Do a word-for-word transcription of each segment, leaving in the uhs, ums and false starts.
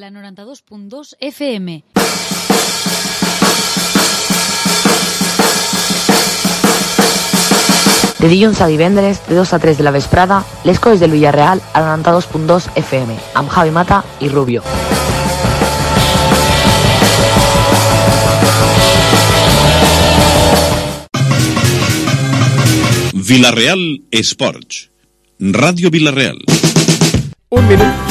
La noranta-dos punt dos F M. De dilluns a divendres, de dos a tres de la vesprada, les coses del Villarreal a la noranta-dos punt dos F M, amb Javi Mata i Rubio. Villarreal Esports. Ràdio Villarreal. Un minut.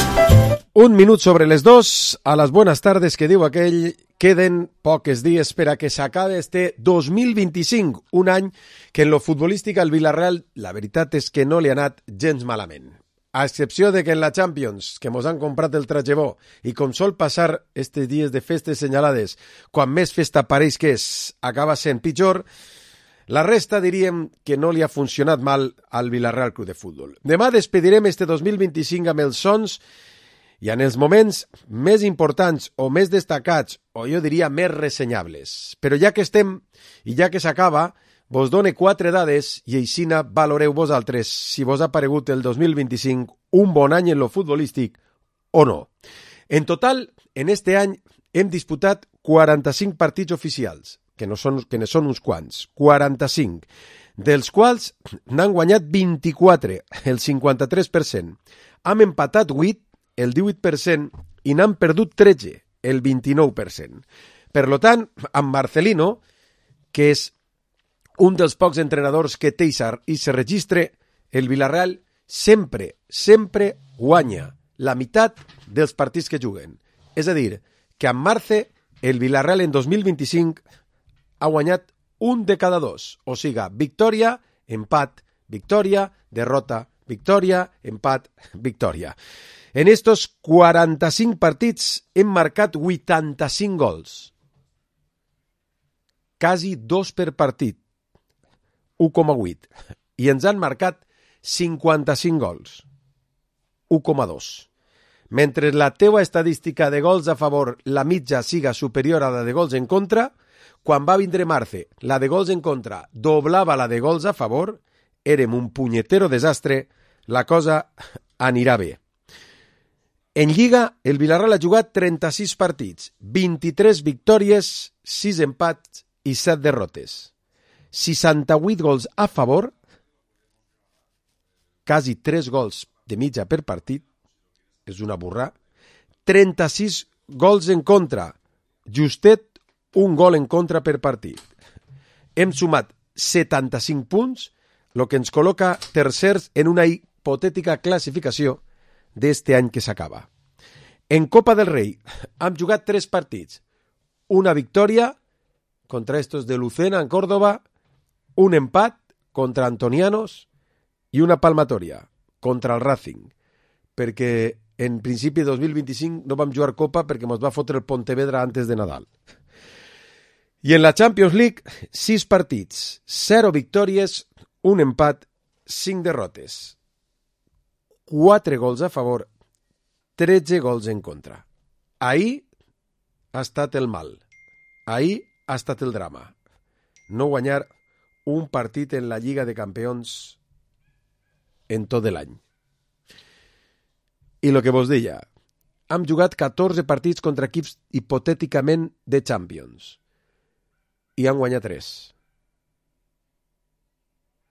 Un minut sobre les dos, a les bones tardes que diu aquell, queden pocs dies per a que s'acabe este dos mil vint-i-cinc, un any que en lo futbolístic al Villarreal la veritat és que no li ha anat gens malament. A excepció de que en la Champions, que mos han comprat el tragebó, i com sol passar estes dies de festes senyalades, quan més festa pareix que és, acaba sent pitjor, la resta diríem que no li ha funcionat mal al Villarreal Club de Futbol. Demà despedirem este dos mil vint-i-cinc amb els sons i en els moments més importants o més destacats, o jo diria més ressenyables. Però ja que estem i ja que s'acaba, vos done quatre dades i aixina valoreu vosaltres si vos ha paregut el dos mil vint-i-cinc un bon any en lo futbolístic o no. En total, en este any hem disputat quaranta-cinc partits oficials, que no són, que ne són uns quants, quaranta-cinc, dels quals n'han guanyat vint-i-quatre, el cinquanta-tres per cent. Hem empatat vuit, el divuit per cent, i n'han perdut tretze, el vint-i-nou per cent. Per lo tant, amb Marcelino, que és un dels pocs entrenadors que té i se registre, el Villarreal sempre, sempre guanya la meitat dels partits que juguen. És a dir, que amb Marce, el Villarreal en dos mil vint-i-cinc ha guanyat un de cada dos. O siga, victòria, empat, victòria, derrota, victòria, empat, victòria. En estos quaranta-cinc partits hem marcat vuitanta-cinc gols. Quasi dos per partit. un coma vuit. I ens han marcat cinquanta-cinc gols. un coma dos. Mentre la teua estadística de gols a favor, la mitja siga superior a la de gols en contra, quan va vindre Marce, la de gols en contra doblava la de gols a favor, érem un punyetero desastre, la cosa anirà bé. En Lliga, el Villarreal ha jugat trenta-sis partits, vint-i-tres victòries, sis empats i set derrotes. seixanta-vuit gols a favor, quasi tres gols de mitja per partit, és una burrà, trenta-sis gols en contra, justet un gol en contra per partit. Hem sumat setanta-cinc punts, el que ens col·loca tercers en una hipotètica classificació d'este any que s'acaba. En Copa del Rei hem jugat tres partits, una victòria contra estos de Lucena en Córdoba, un empat contra Antonianos i una palmatòria contra el Racing, perquè en principi de dos mil vint-i-cinc no vam jugar Copa perquè ens va fotre el Pontevedra antes de Nadal. I en la Champions League, sis partits, zero victòries, un empat, cinc derrotes. quatre gols a favor, tretze gols en contra. Ahir ha estat el mal. Ahir ha estat el drama. No guanyar un partit en la Lliga de Campions en tot l'any. I el que vos deia, hem jugat catorze partits contra equips hipotèticament de Champions i han guanyat tres.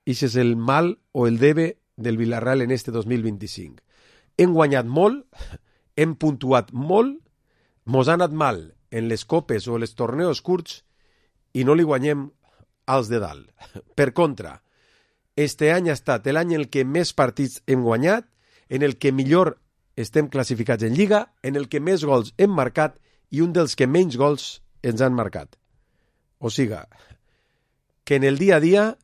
I és el mal o el debe del Villarreal en este dos mil vint-i-cinc. Hem guanyat molt, hem puntuat molt, mos ha anat mal en les copes o els torneos curts i no li guanyem als de dalt. Per contra, este any ha estat l'any en el que més partits hem guanyat, en el que millor estem classificats en Lliga, en el que més gols hem marcat i un dels que menys gols ens han marcat. O siga, que en el dia a dia,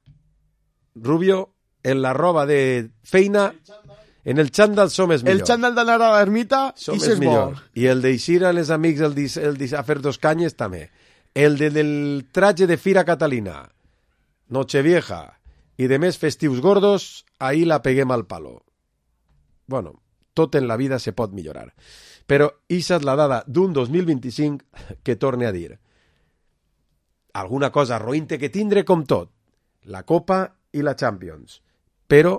Rubio, en la roba de feina, en el xandall som és millor. El xandall d'anar a l'ermita, som i és millor. I el d'eixir a les amics el dis, el dis, a fer dos canyes també. El de, del traje de Fira Catalina, Nochevieja i de més festius gordos, ahí la peguem al palo. Bueno, tot en la vida se pot millorar. Però ixa és la dada d'un dos mil vint-i-cinc que torne a dir. Alguna cosa roïnte que tindre com tot, la Copa i la Champions. Però,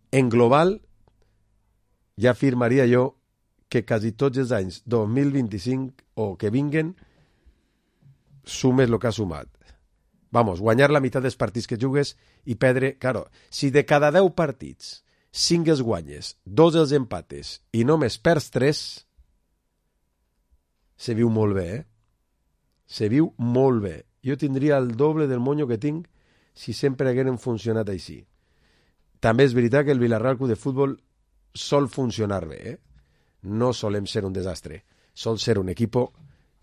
en global, ja afirmaria jo que quasi tots els anys dos mil vint-i-cinc o que vinguen sumes el que has sumat. Vamos, guanyar la meitat dels partits que jugues i perdre... Claro, si de cada deu partits cinc els guanyes, dos els empates i només perds tres, se viu molt bé, eh? Se viu molt bé. Jo tindria el doble del monyo que tinc si sempre hagueren funcionat així. També és veritat que el Villarreal Club de Futbol sol funcionar bé, eh? No solem ser un desastre. Sol ser un equipo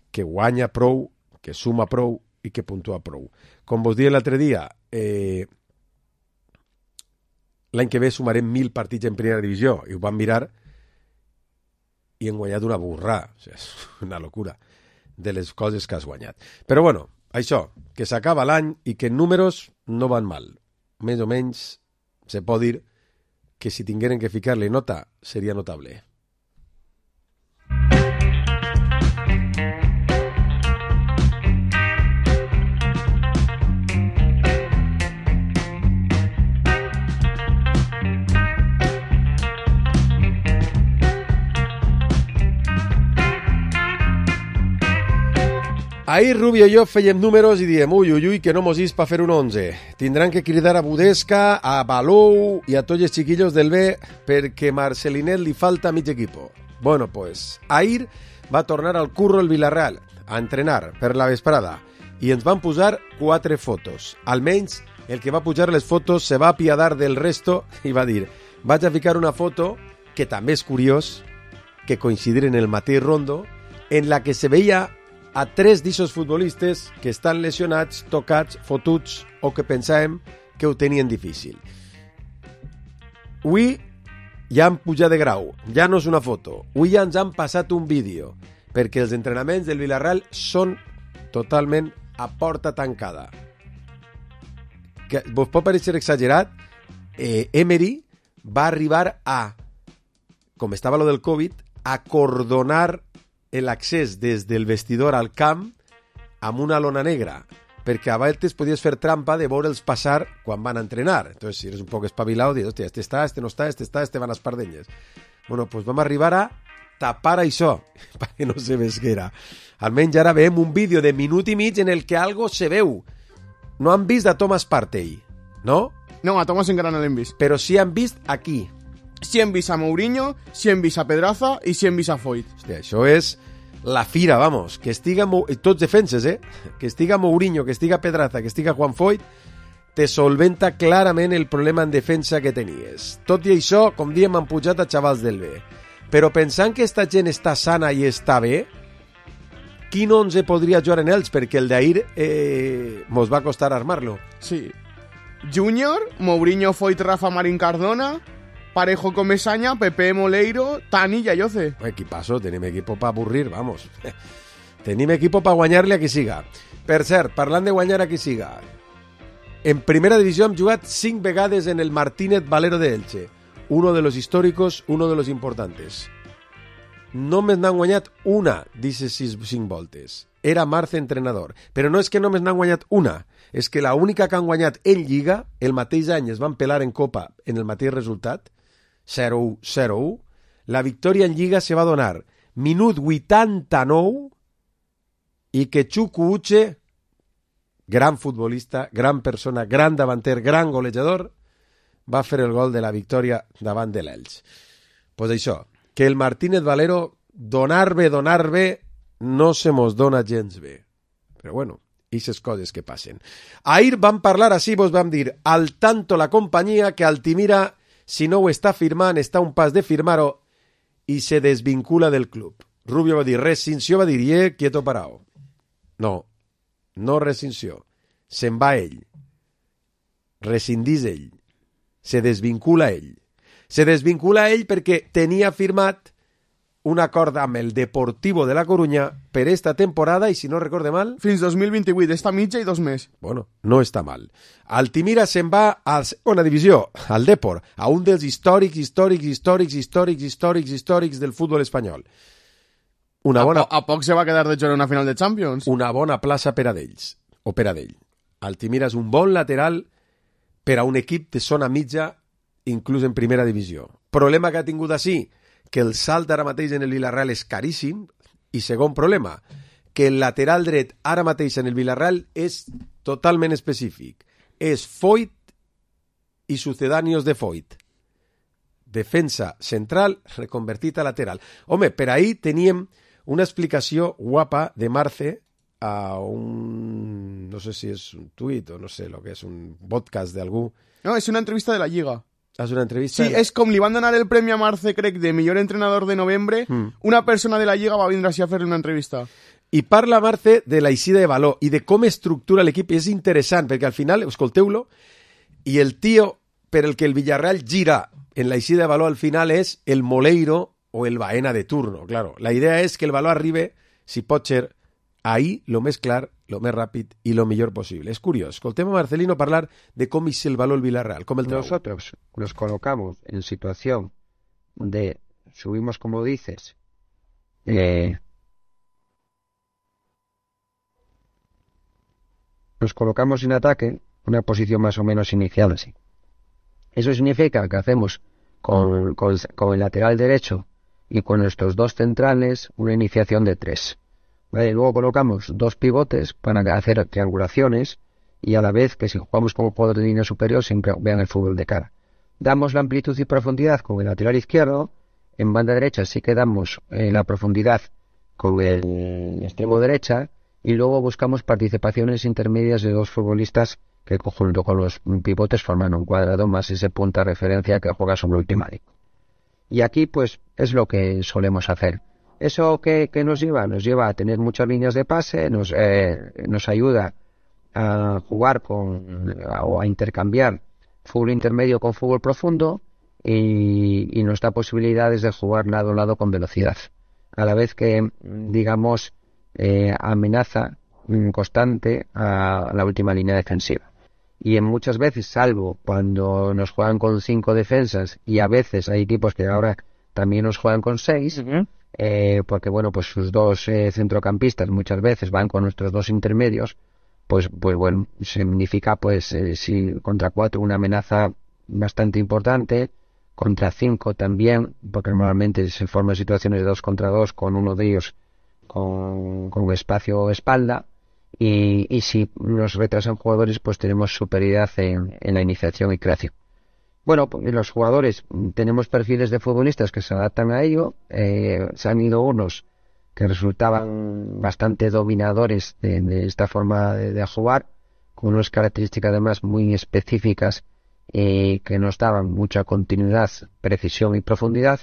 que guanya prou, que suma prou i que puntua prou. Com vos deia l'altre dia, eh, l'any que ve sumarem mil partits en primera divisió i ho vam mirar i hem guanyat una burrà. O sigui, és una locura de les coses que has guanyat. Però bueno, això, que s'acaba l'any i que en números no van mal. Més o menys se pot dir que si tingueren que ficar-li nota seria notable. Ahir Rubio i jo fèiem números i diem ui, ui, ui, que no mos is pa fer un onze. Tindran que cridar a Budesca, a Balou i a tots els chiquillos del B perquè Marcelinet li falta mig equipo. Bueno, pues, ahir va tornar al curro el Villarreal a entrenar per la vesprada i ens van posar quatre fotos. Almenys el que va pujar les fotos se va apiadar del resto i va dir vaig a ficar una foto que també és curiós que coincidir en el mateix rondo en la que se veia a tres d'ixos futbolistes que estan lesionats, tocats, fotuts o que pensàvem que ho tenien difícil. Avui ja han pujat de grau, ja no és una foto, avui ja ens han passat un vídeo, perquè els entrenaments del Villarreal són totalment a porta tancada. Que vos pot parecer exagerat, eh, Emery va arribar a, com estava lo del Covid, acordonar l'accés des del vestidor al camp amb una lona negra, perquè a vegades podies fer trampa de veure'ls passar quan van a entrenar. Entonces, si eres un poc espavilat, dius, hòstia, este està, este no està, este està, este van a espardenyes. Bueno, pues vam arribar a tapar això, perquè no se vesguera. Almenys ara veiem un vídeo de minut i mig en el que algo se veu. No han vist a Thomas Partey, no? No, a Thomas encara no l'hem vist. Però sí han vist aquí. Sí hem vist a Mourinho, sí hem vist a Pedraza i sí hem vist a Foyt. Hòstia, això és la fira, vamos. Que estiga Mou... tots defenses, eh? Que estiga Mourinho, que estiga Pedraza, que estiga Juan Foyt, te solventa clarament el problema en defensa que tenies. Tot i això, com diem, han pujat a xavals del B. Però pensant que esta gent està sana i està bé, quin onze podria jugar en ells? Perquè el d'ahir eh, mos va costar armar-lo. Sí. Júnior, Mourinho, Foyt, Rafa, Marín Cardona... Parejo, Comesaña, Pepe, Moleiro, Tani i Ayoce. Equipazo, tenim equipo para avorrir, vamos. Tenim equipo para guanyar-li a qui siga. Per cert, parlant de guanyar a qui siga, en primera divisió hem jugat cinc vegades en el Martínez Valero de Elche. Uno de los históricos, uno de los importantes. Només n'han guanyat una, dice sis, cinc voltes. Era Marce entrenador. Però no és que només n'han guanyat una, és que la única que han guanyat en Lliga, el mateix any es van pelar en Copa en el mateix resultat, zero u zero u, la victòria en Lliga se va donar minut vuitanta-nou i que Chuku Uche, gran futbolista, gran persona, gran davanter, gran golejador, va fer el gol de la victòria davant de l'Elx. Pues això, que el Martínez Valero donar bé, donar bé, no se mos dona gens bé. Però bueno, ixes coses que passen. Ahir vam parlar així, vos vam dir, al tanto la companyia que Altimira, si no ho està firmant, està a un pas de firmar-ho i se desvincula del club. Rubio va dir, rescinció, va dir, eh, quieto parao. No, no rescinció. Se'n va ell. Rescindís ell. Se desvincula ell. Se desvincula ell perquè tenia firmat un acord amb el Deportivo de la Coruña per esta temporada i, si no recorde mal... Fins dos mil vint-i-vuit, esta mitja i dos més. Bueno, no està mal. Altimira se'n va a la segona divisió, al Depor, a un dels històrics, històrics, històrics, històrics, històrics, històrics del futbol espanyol. Una bona... A, po a poc se va quedar de jugar una final de Champions. Una bona plaça per a d'ells, o per a d'ell. Altimira és un bon lateral per a un equip de zona mitja, inclús en primera divisió. Problema que ha tingut així, que el salt ara mateix en el Villarreal és caríssim, i segon problema, que el lateral dret ara mateix en el Villarreal és totalment específic. És Foyt i sucedáneos de Foyt. Defensa central reconvertit a lateral. Home, per ahir teníem una explicació guapa de Marce a un... no sé si és un tuit o no sé lo que és, un podcast d'algú. No, és una entrevista de la Lliga. És una entrevista... Sí, és com li van donar el premi a Marce, crec, de millor entrenador de novembre, mm. una persona de la Lliga va vindre així a fer-li una entrevista. I parla Marce de la eixida de valor i de com estructura l'equip, i és interessant, perquè al final, escolteu-lo, i el tio per el que el Villarreal gira en la eixida de valor al final és el Moleiro o el Baena de turno, claro. La idea és que el valor arribe, si pot ser, ahí lo més clar, lo més ràpid i lo millor possible. És curiós. Escoltem a Marcelino parlar de com és el valor el Villarreal, com el trau. Nosotros nos colocamos en situación de, subimos como dices, eh, nos colocamos en ataque, una posición más o menos inicial así. Eso significa que hacemos con, con, con el lateral derecho y con nuestros dos centrales una iniciación de tres. ¿Vale? Luego colocamos dos pivotes para hacer triangulaciones y a la vez que si jugamos como jugador de línea superior siempre vean el fútbol de cara. Damos la amplitud y profundidad con el lateral izquierdo, en banda derecha sí que damos eh, la profundidad con el extremo derecha y luego buscamos participaciones intermedias de dos futbolistas que junto con los pivotes forman un cuadrado más ese punta de referencia que juega sobre el ultimático. Y aquí pues es lo que solemos hacer. ¿Eso qué, qué nos lleva? Nos lleva a tener muchas líneas de pase, nos, eh, nos ayuda a jugar con o a intercambiar fútbol intermedio con fútbol profundo y, y nos da posibilidades de jugar lado a lado con velocidad. A la vez que, digamos, eh, amenaza constante a la última línea defensiva. Y en muchas veces, salvo cuando nos juegan con cinco defensas, y a veces hay equipos que ahora también nos juegan con seis, uh-huh. eh, porque bueno, pues sus dos eh, centrocampistas muchas veces van con nuestros dos intermedios, pues, pues bueno, significa pues eh, si contra cuatro una amenaza bastante importante, contra cinco también, porque normalmente se forman situaciones de dos contra dos con uno de ellos con, con espacio o espalda. Y, y si nos retrasan jugadores, pues tenemos superioridad en, en la iniciación y creación. Bueno, pues los jugadores tenemos perfiles de futbolistas que se adaptan a ello. Eh, se han ido unos que resultaban bastante dominadores de, de esta forma de, de jugar, con unas características además muy específicas eh, que nos daban mucha continuidad, precisión y profundidad.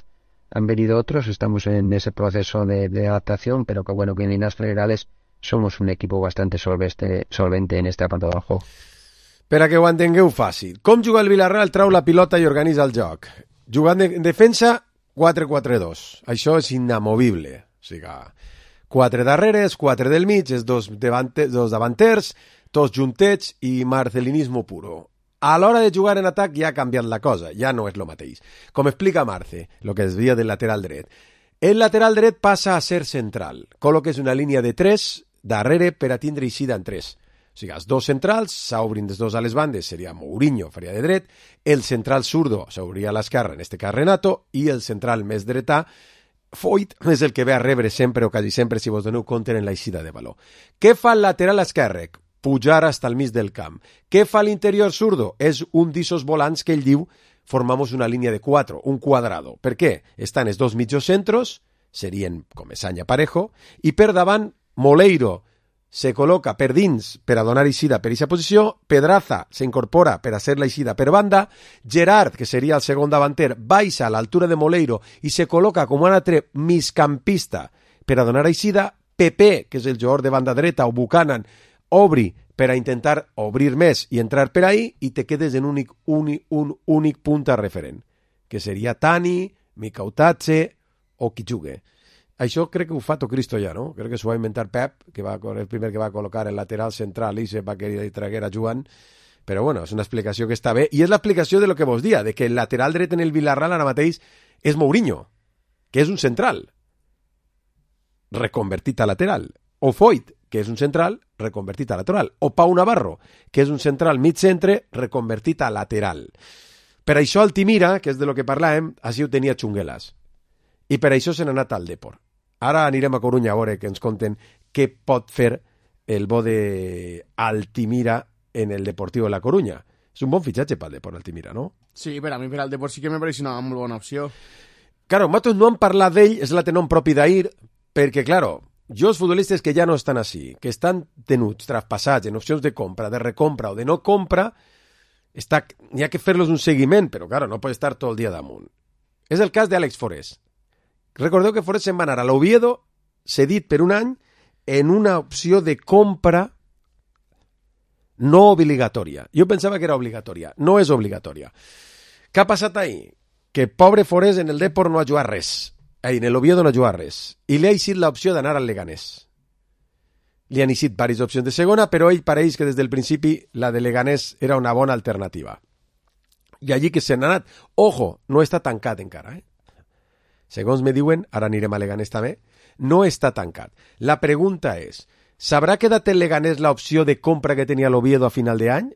Han venido otros, estamos en ese proceso de, de adaptación, pero que bueno, que en líneas generales somos un equipo bastante solvente, solvente en este apartado del juego. Per a que ho entengueu fàcil. Com juga el Villarreal? Trau la pilota i organitza el joc. Jugant en defensa, quatre quatre dos. Això és inamovible. O sigui, quatre darreres, quatre del mig, els dos, davante, dos davanters, tots juntets i marcelinismo puro. A l'hora de jugar en atac ja ha canviat la cosa, ja no és el mateix. Com explica Marce, el que es deia del lateral dret. El lateral dret passa a ser central. Col·loques una línia de tres darrere per a tindre eixida en tres. O sigui, els dos centrals s'obrin dels dos a les bandes, seria Mourinho, faria de dret, el central zurdo s'obria a l'esquerra, en este cas Renato, i el central més dretà, Foyt, és el que ve a rebre sempre o quasi sempre si vos doneu compte en l'eixida de valor. Què fa el lateral esquerre? Pujar hasta el mig del camp. Què fa l'interior zurdo? És un d'issos volants que ell diu formamos una línia de quatre, un quadrado. Per què? Estan els dos mitjocentros, serien Comesaña Parejo, i per davant Moleiro se col·loca per dins per a donar eixida per aquesta posició, Pedraza s'incorpora per a ser l'eixida per banda, Gerard, que seria el segon davanter, baixa a l'altura de Moleiro i se col·loca com un altre migcampista per a donar eixida, Pepe, que és el jugador de banda dreta, o Buchanan, obri per a intentar obrir més i entrar per ahí i te quedes en únic, únic, un únic punta referent, que seria Tani, Mikautadze o qui jugui. Això crec que ho fa tot Cristo ja, no? Crec que s'ho va inventar Pep, que va el primer que va col·locar el lateral central i se va querer traguer a Joan, però bueno, és una explicació que està bé, i és l'explicació de lo que vos dia, de que el lateral dret en el Villarreal ara mateix és Mourinho, que és un central reconvertit a lateral, o Foyt, que és un central reconvertit a lateral, o Pau Navarro, que és un central mig-centre reconvertit a lateral. Per això Altimira, que és de lo que parlàvem, així ho tenia Chunguelas. I per això se n'ha anat al Depor. Ara anirem a Corunya a veure que ens conten què pot fer el bo de Altimira en el Deportivo de la Coruña. És un bon fitxatge pel Depor Altimira, no? Sí, per a mi, per al Depor sí que me pareix una molt bona opció. Claro, nosaltres no hem parlat d'ell, és la tenom propi d'ahir, perquè, claro, jo els futbolistes que ja no estan així, que estan tenuts, traspassats, en opcions de compra, de recompra o de no compra, està, hi ha que fer-los un seguiment, però, claro, no pot estar tot el dia damunt. És el cas d'Àlex Forés. Recordeu que Forés se'n va anar a l'Oviedo, cedit per un any, en una opció de compra no obligatòria. Jo pensava que era obligatòria. No és obligatòria. Què ha passat ahir? Que pobre Forés en el Depor no ha jugat res. Ahí, en el Oviedo no ha jugat res. I li ha eixit l'opció d'anar al Leganés. Li han eixit diverses opcions de segona, però ell pareix que des del principi la de Leganés era una bona alternativa. I allí que se n'ha anat. Ojo, no està tancat encara, eh? Segons me diuen, ara anirem a Leganés també, no està tancat. La pregunta és, ¿s'habrà quedat el Leganés la opció de compra que tenia l'Oviedo a final de any?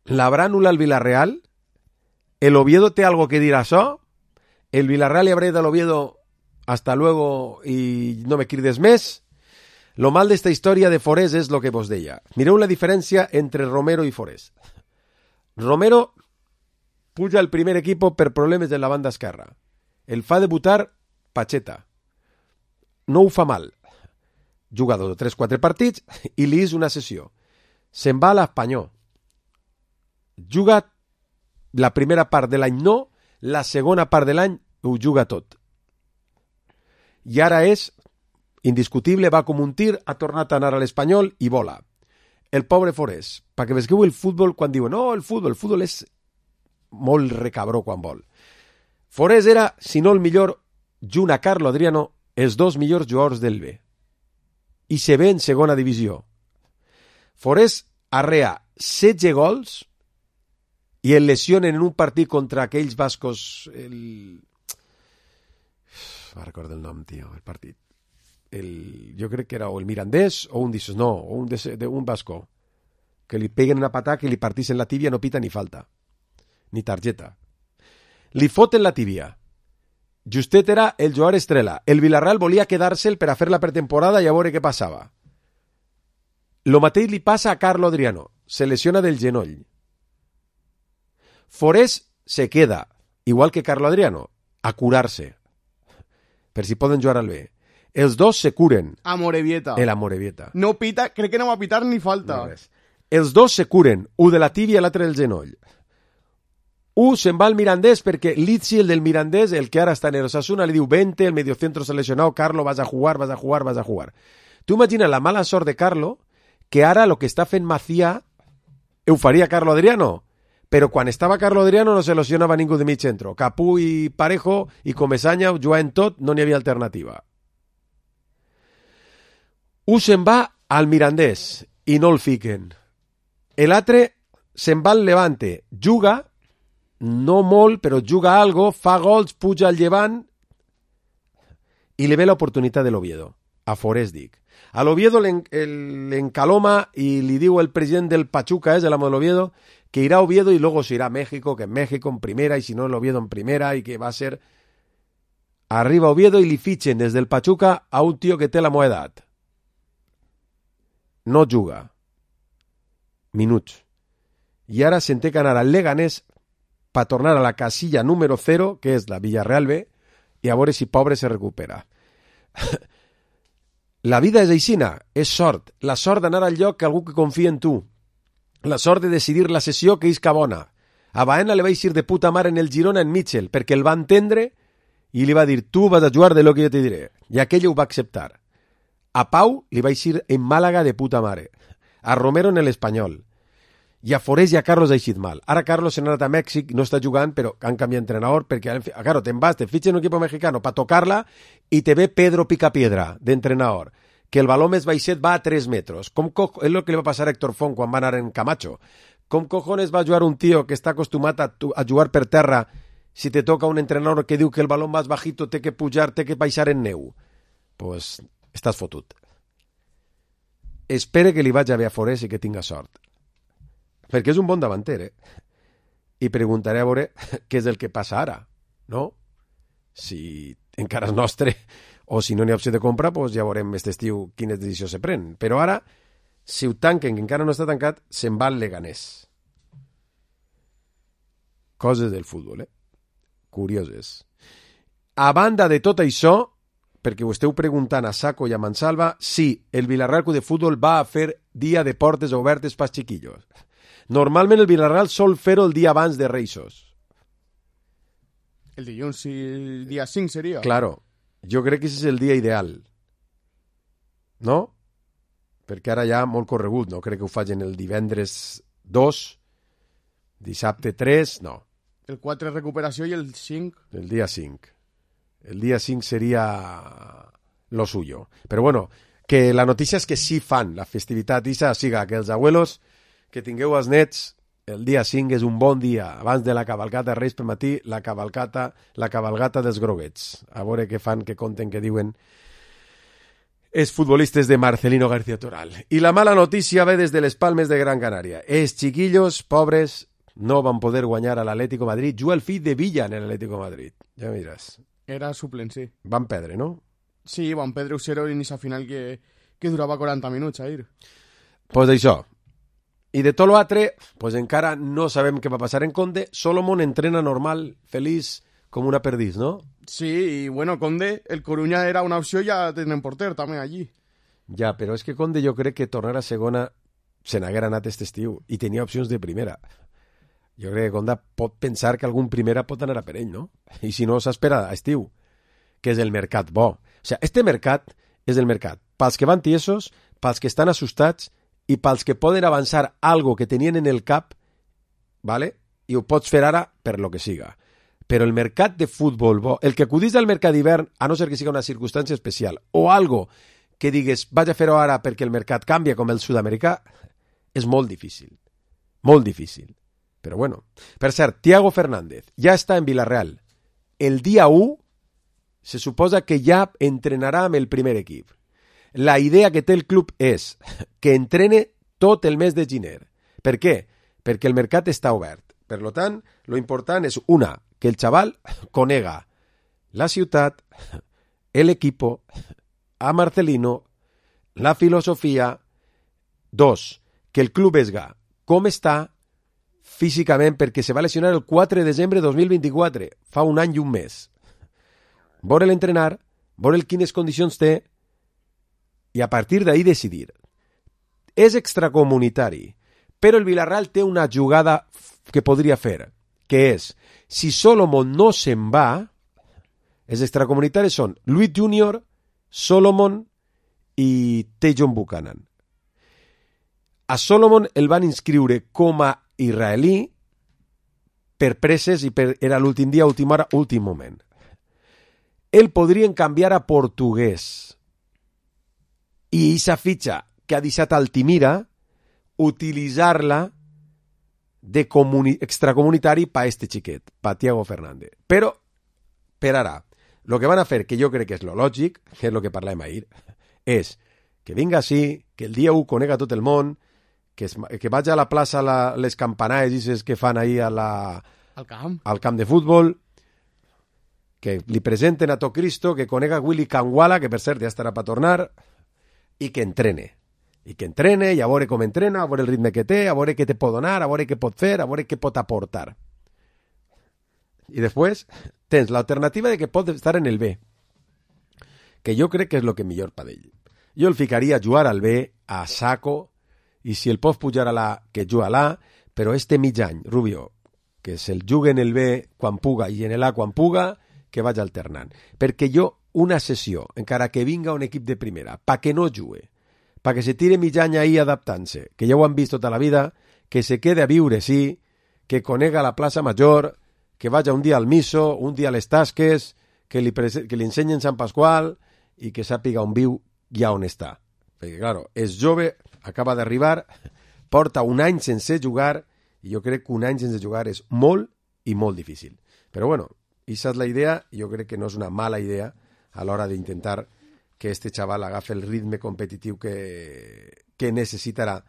¿L'habrà anul·lat el Villarreal? ¿El Oviedo té algo que dir a això? ¿El Villarreal li habrá ido al Oviedo hasta luego y no me crides més? Lo mal d'esta història de Forés és lo que vos deia. Mireu la diferència entre Romero i Forés. Romero puja al primer equipo per problemes de la banda esquerra. El fa debutar Pacheta. No ho fa mal. Juga dos o tres, quatre partits i li és una sessió. Se'n va a l'Espanyol. Juga la primera part de l'any no, la segona part de l'any ho juga tot. I ara és indiscutible, va com un tir, ha tornat a anar a l'Espanyol i vola. El pobre Forés, perquè vesgueu el futbol quan diuen no, el futbol, el futbol és molt recabró quan vol. Forés era, si no el millor, junt a Carlo Adriano, els dos millors jugadors del B. I se ve en segona divisió. Forés arrea setze gols i el lesionen en un partit contra aquells bascos... El... No recordo el nom, tio, el partit. El... Jo crec que era o el Mirandés o un d'issos, no, o un, de, de, un basco. Que li peguen una patada que li partisen la tíbia, no pita ni falta. Ni targeta. Li foten la tíbia. Justet era el jugador estrella. El Villarreal volia quedar-se'l per a fer la pretemporada i a veure què passava. Lo mateix li passa a Carlo Adriano. Se lesiona del genoll. Forés se queda, igual que Carlo Adriano, a curar-se. Per si poden jugar al B. Els dos se curen. A Morevieta. El Amorebieta. No pita, crec que no va pitar ni falta. No, els dos se curen, un de la tíbia i l'altre del genoll. Un se'n va al Mirandés perquè Lizzi, el del Mirandés, el que ara està en el Osasuna, li diu vente, el mediocentro s'ha lesionat, Carlo, vas a jugar, vas a jugar, vas a jugar. Tu imagina la mala sort de Carlo, que ara lo que està fent Macía ho faria Carlo Adriano, però quan estava Carlo Adriano no se lesionava ningú de mig centro. Capú i Parejo i Comesaña jugaven tot, no n'hi havia alternativa. Un se'n va al Mirandés i no el fiquen. L'altre se'n va al Levante, juga, no molt, però juga algo, fa gols, puja al Llevant i li ve l'oportunitat de l'Oviedo. A Forés, dic. A l'Oviedo l'encaloma i li diu el president del Pachuca, és el amo de l'Oviedo, que irà a Oviedo y luego se irá a México, que en México en primera y si no el Oviedo en primera y que va a ser arriba Oviedo y li fitxen des del Pachuca a un tio que té la meva edat. No juga. Minuts. I ara se'n té que anar al Leganés per tornar a la casilla número cero, que és la Villarreal B, i a veure si pobre se recupera. La vida és aixina, és sort. La sort d'anar al lloc que algú que confia en tu. La sort de decidir la sessió que isca bona. A Baena li va eixir de puta mare en el Girona en Mitchell, perquè el va entendre i li va dir, tu vas a jugar de lo que jo te diré. I aquell ho va acceptar. A Pau li va eixir en Màlaga de puta mare. A Romero en l'Espanyol. I a Forés i a Carlos ha eixit mal. Ara Carlos s'ha anat a Mèxic, no està jugant, però han canviat d'entrenador, perquè, claro, te'n vas, te fitxen un equip mexicano per tocar-la i te ve Pedro Picapiedra, d'entrenador, que el baló més baixet va a tres metros. Com co... És el que li va passar a Héctor Font quan va anar en Camacho. Com cojones va jugar un tio que està acostumat a, tu... a jugar per terra si te toca un entrenador que diu que el baló més bajito té que pujar, té que baixar en neu? Pues estàs fotut. Espere que li vaig a bé a Forés i que tinga sort. Perquè és un bon davanter, eh? I preguntaré a veure què és el que passa ara, no? Si encara és nostre, o si no n'hi ha opció de compra, doncs ja veurem aquest estiu quines decisions se pren. Però ara, si ho tanquen, que encara no està tancat, se'n va al Leganés. Coses del futbol, eh? Curioses. A banda de tot això, perquè ho esteu preguntant a Saco i a Mansalva, sí, el Villarreal Club de Futbol va a fer dia de portes obertes pels xiquillos. Normalment el Villarreal sol fer-ho el dia abans de Reixos. El dilluns, sí, el dia cinc seria. Claro, jo crec que aquest és el dia ideal. No? Perquè ara ja molt corregut, no? Crec que ho facin el divendres dos, dissabte tres, no. El quatre recuperació i el cinc... El dia cinc. El dia cinc seria lo suyo. Però bueno, que la notícia és que sí fan la festivitat isa, siga que els abuelos que tingueu els nets, el dia cinc és un bon dia, abans de la cavalcata Reis per matí, la cavalcata, la cavalgata dels groguets. A veure què fan, què conten, què diuen els futbolistes de Marcelino García Toral. I la mala notícia ve des de les Palmes de Gran Canària. Els chiquillos pobres no van poder guanyar a l'Atlético Madrid. Juga el fill de Villa en l'Atlético Madrid. Ja em diràs. Era suplent, sí. Van perdre, no? Sí, van perdre un zero en esa final que, que durava quaranta minuts, Jair. Pues això. I de tot l'altre, pues encara no sabem què va passar en Conde. Solomon entrena normal, feliç, com una perdiz, no? Sí, i bueno, Conde, el Coruña era una opció, ja tenen porter també allí. Ja, però és que Conde jo crec que tornar a segona se n'haguera anat aquest estiu i tenia opcions de primera. Jo crec que Conde pot pensar que algun primera pot anar a per ell, no? I si no, s'espera a estiu, que és el mercat bo. O sigui, este mercat és el mercat pels que van tiesos, pels que estan assustats i pels que poden avançar algo que tenien en el cap, ¿vale? I ho pots fer ara per lo que siga. Però el mercat de futbol bo, el que acudís al mercat d'hivern, a no ser que siga una circumstància especial, o algo que digues, vaig a fer-ho ara perquè el mercat canvia com el sud-americà, és molt difícil. Molt difícil. Però bueno. Per cert, Thiago Fernández ja està en Villarreal. El dia u se suposa que ja entrenarà amb el primer equip. La idea que té el club és que entrene tot el mes de gener. Per què? Perquè el mercat està obert. Per tant, lo important és, una, que el xaval conega la ciutat, el equipo, a Marcelino, la filosofia. Dos, que el club esga com està físicament, perquè se va lesionar el quatre de desembre de dos mil vint-i-quatre, fa un any i un mes. Veure'l entrenar, veure'l quines condicions té, i a partir d'ahí decidir. És extracomunitari, però el Villarreal té una jugada que podria fer, que és, si Solomon no se'n va, els extracomunitaris són Luis Junior, Solomon i Tejon Buchanan. A Solomon el van inscriure com a israelí per presses i per, era l'últim dia, última hora, últim moment. El podrien canviar a portuguès. I aquesta fitxa que ha deixat Altimira, utilitzar-la de comuni- extracomunitari per este xiquet, per Thiago Fernández. Però, per ara, el que van a fer, que jo crec que és lo lògic, que és el que parlem ahir, és que vinga així, que el dia u conega tot el món, que, es, que vaig a la plaça a la, les campanades que fan ahir a la, al camp. al camp de futbol, que li presenten a tot Cristo, que conega Willy Canguala, que per cert ja estarà per tornar, i que entrene. I que entrene, i a veure com entrena, a veure el ritme que té, a veure què te pot donar, a veure què pot fer, a veure què pot aportar. I després tens l'alternativa de que pot estar en el B, que jo crec que és el que millor per ell. Jo el ficaria a jugar al B, a saco, i si el pots pujar a l'A, que juga a l'A, però este mig any, Rubio, que se'l jugui en el B quan puga i en l'A quan puga, que vaig alternant. Perquè jo, una sessió, encara que vinga un equip de primera, pa que no jugue, pa que se tire mig any ahí adaptant-se, que ja ho han vist tota la vida, que se quede a viure, sí, que conega la plaça Major, que vagi un dia al Miso, un dia a les Tasques, que li, prese- que li ensenyen Sant Pasqual i que sàpiga on viu i on està. Perquè, claro, és jove, acaba d'arribar, porta un any sense jugar, i jo crec que un any sense jugar és molt i molt difícil. Però bueno, aquesta és la idea, i jo crec que no és una mala idea a l'hora d'intentar que este xaval agafi el ritme competitiu que, que necessitarà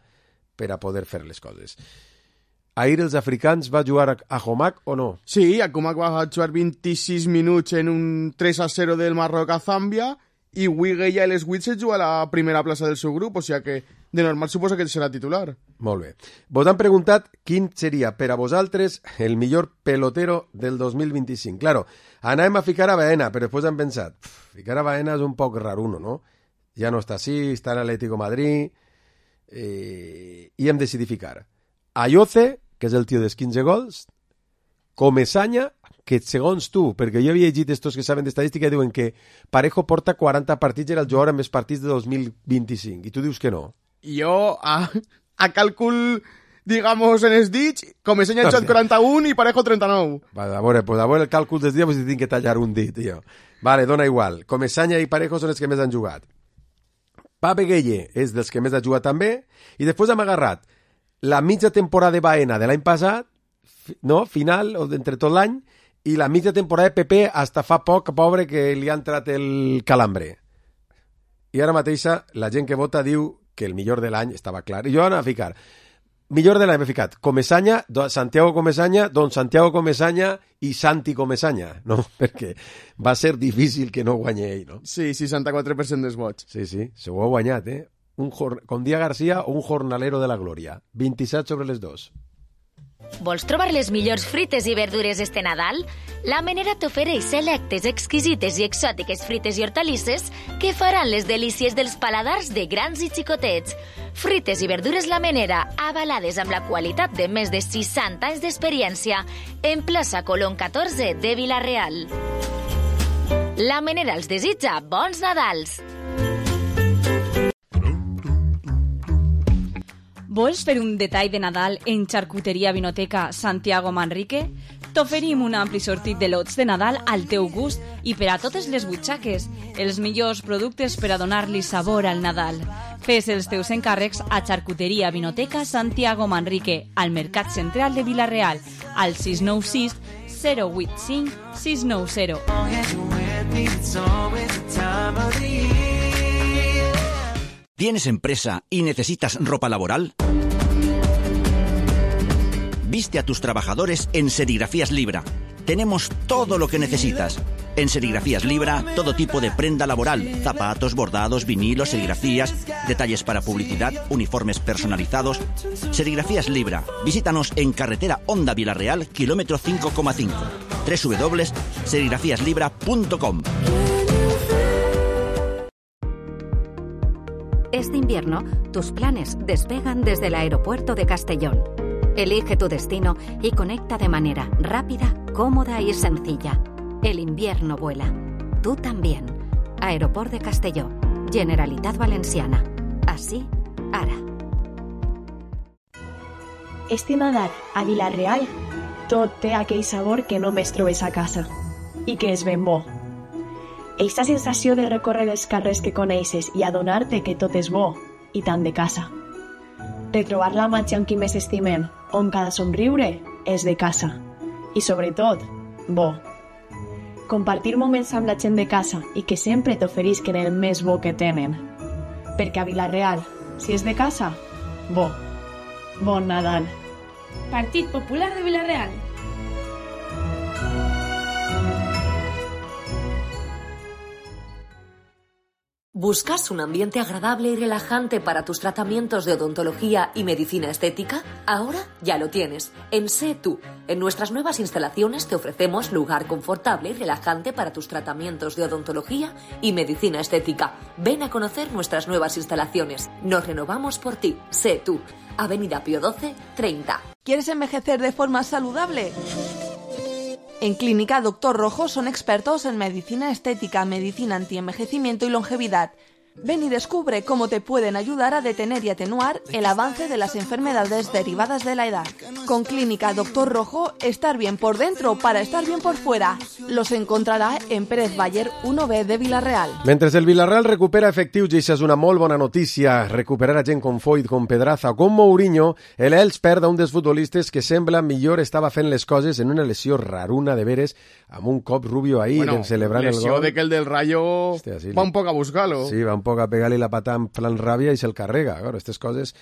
per a poder fer les coses. ahir els africans va jugar a, a Homac o no? Sí, Akumak va jugar vint-i-sis minuts en un tres a zero del Marroc a Zàmbia i Wigge ja les vuit se juga a la primera plaça del seu grup, o sigui que de normal suposa que serà titular. Molt bé. Vos han preguntat quin seria per a vosaltres el millor pelotero del dos mil vint-i-cinc. Claro, anàvem a ficar a Baena, però després han pensat, ficar a Baena és un poc raruno, no? Ja no està així, està en Atlético Madrid, eh, i hem decidit ficar a Ayoce, que és el tio dels quinze gols, Comesaña, que segons tu, perquè jo havia llegit estos que saben d'estadística, diuen que Parejo porta quaranta partits, era el jugador amb més partits de dos mil vint-i-cinc, i tu dius que no. Jo, a, a càlcul, digamos, en els dits, Comesaña ha jugat quaranta-un i Parejo trenta-nou. Va, a veure, pues a veure el càlcul dels dies, pues tinc que tallar un dit, jo. Vale, dona igual. Comesaña i Parejo són els que més han jugat. Pape Gueye és dels que més ha jugat també, i després hem agarrat la mitja temporada de Baena de l'any passat, no, final, o d'entre tot l'any, i la mitja temporada de Pepe hasta fa poc, pobre, que li ha entrat el calambre. I ara mateixa la gent que vota diu que el millor de l'any estava clar. I jo anava a ficar, millor de l'any m'he ficat, Comesaña, Santiago Comesaña, Don Santiago Comesaña i Santi Comesaña, no? Perquè va ser difícil que no guanyi ell, no? Sí, seixanta-quatre per cent dels vots. Sí, sí, se ho ha guanyat, eh? Un jor... Com Dia García o un jornalero de la glòria. vint-i-set sobre les dos. Vols trobar les millors frites i verdures este Nadal? La Menera t'ofereix selectes, exquisites i exòtiques frites i hortalisses que faran les delícies dels paladars de grans i xicotets. Frites i verdures La Menera, avalades amb la qualitat de més de seixanta anys d'experiència, en plaça Colón catorze de Vila-real. La Menera els desitja bons Nadals! Vols fer un detall de Nadal en Xarcuteria Vinoteca Santiago Manrique? T'oferim un ampli sortit de lots de Nadal al teu gust i per a totes les butxaques, els millors productes per a donar-li sabor al Nadal. Fes els teus encàrrecs a Xarcuteria Vinoteca Santiago Manrique, al Mercat Central de Vila-real, al sis nou sis, zero vuit cinc, sis nou zero. ¿Tienes empresa y necesitas ropa laboral? Viste a tus trabajadores en Serigrafías Libra. Tenemos todo lo que necesitas. En Serigrafías Libra, todo tipo de prenda laboral, zapatos, bordados, vinilos, serigrafías, detalles para publicidad, uniformes personalizados. Serigrafías Libra. Visítanos en carretera Honda Vila-real, kilómetro cinco coma cinco. doble u doble u doble u punto serigrafías libra punto com. Este invierno, tus planes despegan desde el aeropuerto de Castellón. Elige tu destino y conecta de manera rápida, cómoda y sencilla. El invierno vuela. Tú también. Aeroport de Castelló. Generalitat Valenciana. Así, ara. Este Nadal, a Vila-real, tot té aquell sabor que només trobes a casa. I que és ben bo. Aquesta sensació de recórrer els carrers que coneixes i adonar-te que tot és bo i tant de casa. Retrobar la màgia amb qui més estimem, on cada somriure és de casa. I sobretot, bo. Compartir moments amb la gent de casa i que sempre t'oferisquen el més bo que tenen. Perquè a Vila-real, si és de casa, bo. Bon Nadal. Partit Popular de Vila-real. ¿Buscas un ambiente agradable y relajante para tus tratamientos de odontología y medicina estética? Ahora ya lo tienes. En Sé Tú. En nuestras nuevas instalaciones te ofrecemos lugar confortable y relajante para tus tratamientos de odontología y medicina estética. Ven a conocer nuestras nuevas instalaciones. Nos renovamos por ti. Sé Tú. Avenida Pío doce, treinta. ¿Quieres envejecer de forma saludable? En Clínica Doctor Rojo son expertos en medicina estética, medicina antienvejecimiento y longevidad. Ven y descubre cómo te pueden ayudar a detener y atenuar el avance de las enfermedades derivadas de la edad. Con Clínica Doctor Rojo, estar bien por dentro para estar bien por fuera. Los encontrarà en Pérez Baller uno B de Vila-real. Mentre el Vila-real recupera efectius, i això és una molt bona notícia, recuperar a gent com Foyt, com Pedraza o com Mourinho, el Elx perd a un dels futbolistes que sembla millor estava fent les coses en una lesió raruna de veres, amb un cop Rubio ahir bueno, celebrant el gol. Lesió de que el del Rayo Hòstia, sí, va un poc a buscar-lo. Sí, va un poc a pegar-li la pata en plan ràbia i se'l carrega. Claro, aquestes coses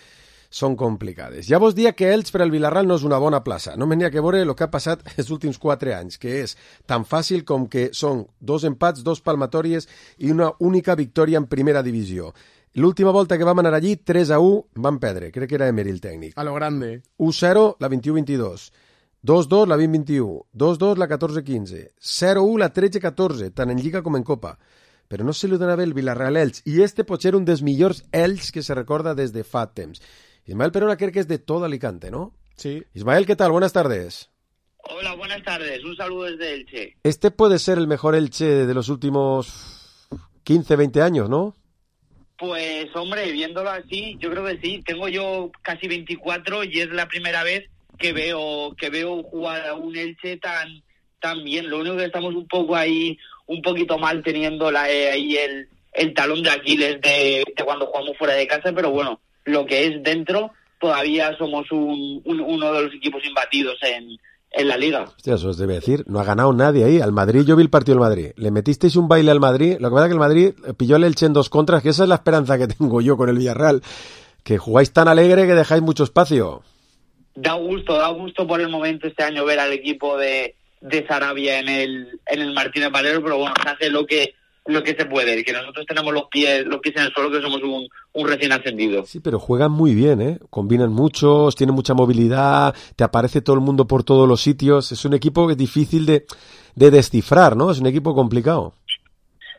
són complicades. Ja vos dia que Elx per al Vilarreal no és una bona plaça. No me n'hi ha que veure el que ha passat els últims quatre anys, que és tan fàcil com que són dos empats, dos palmatòries i una única victòria en primera divisió. L'última volta que vam anar allí, tres a u, van perdre. Crec que era Emery el tècnic. A lo grande. u zero la vint-i-u vint-i-dos. dos dos la vint vint-i-u, dos dos la catorze quinze, zero u la tretze catorze, tant en Lliga com en Copa. Però no se li dona bé el Vilarreal Elx, i este pot ser un dels millors Elx que se recorda des de fa temps. Ismael Perona creo que es de todo Alicante, ¿no? Sí. Ismael, ¿qué tal? Buenas tardes. Hola, buenas tardes. Un saludo desde Elche. Este puede ser el mejor Elche de los últimos quince, veinte años, ¿no? Pues, hombre, viéndolo así, yo creo que sí. Tengo yo casi veinticuatro y es la primera vez que veo que veo jugar a un Elche tan tan bien. Lo único que estamos un poco ahí, un poquito mal teniendo la, eh, ahí el, el talón de Aquiles de, de cuando jugamos fuera de casa, pero bueno, lo que es dentro, todavía somos un, un, uno de los equipos imbatidos en, en la Liga. Hostia, eso os debe decir, no ha ganado nadie ahí. Al Madrid, yo vi el partido del Madrid. Le metisteis un baile al Madrid, lo que pasa es que el Madrid pilló el Elche en dos contras, que esa es la esperanza que tengo yo con el Villarreal, que jugáis tan alegre que dejáis mucho espacio. Da gusto, da gusto por el momento este año ver al equipo de, de Sarabia en el en el Martínez Valero, pero bueno, se hace lo que lo que se puede, que nosotros tenemos los pies los pies en el suelo, que somos un, un recién ascendido. Sí, pero juegan muy bien, ¿eh? Combinan muchos, tienen mucha movilidad, te aparece todo el mundo por todos los sitios. Es un equipo que es difícil de, de descifrar, ¿no? Es un equipo complicado.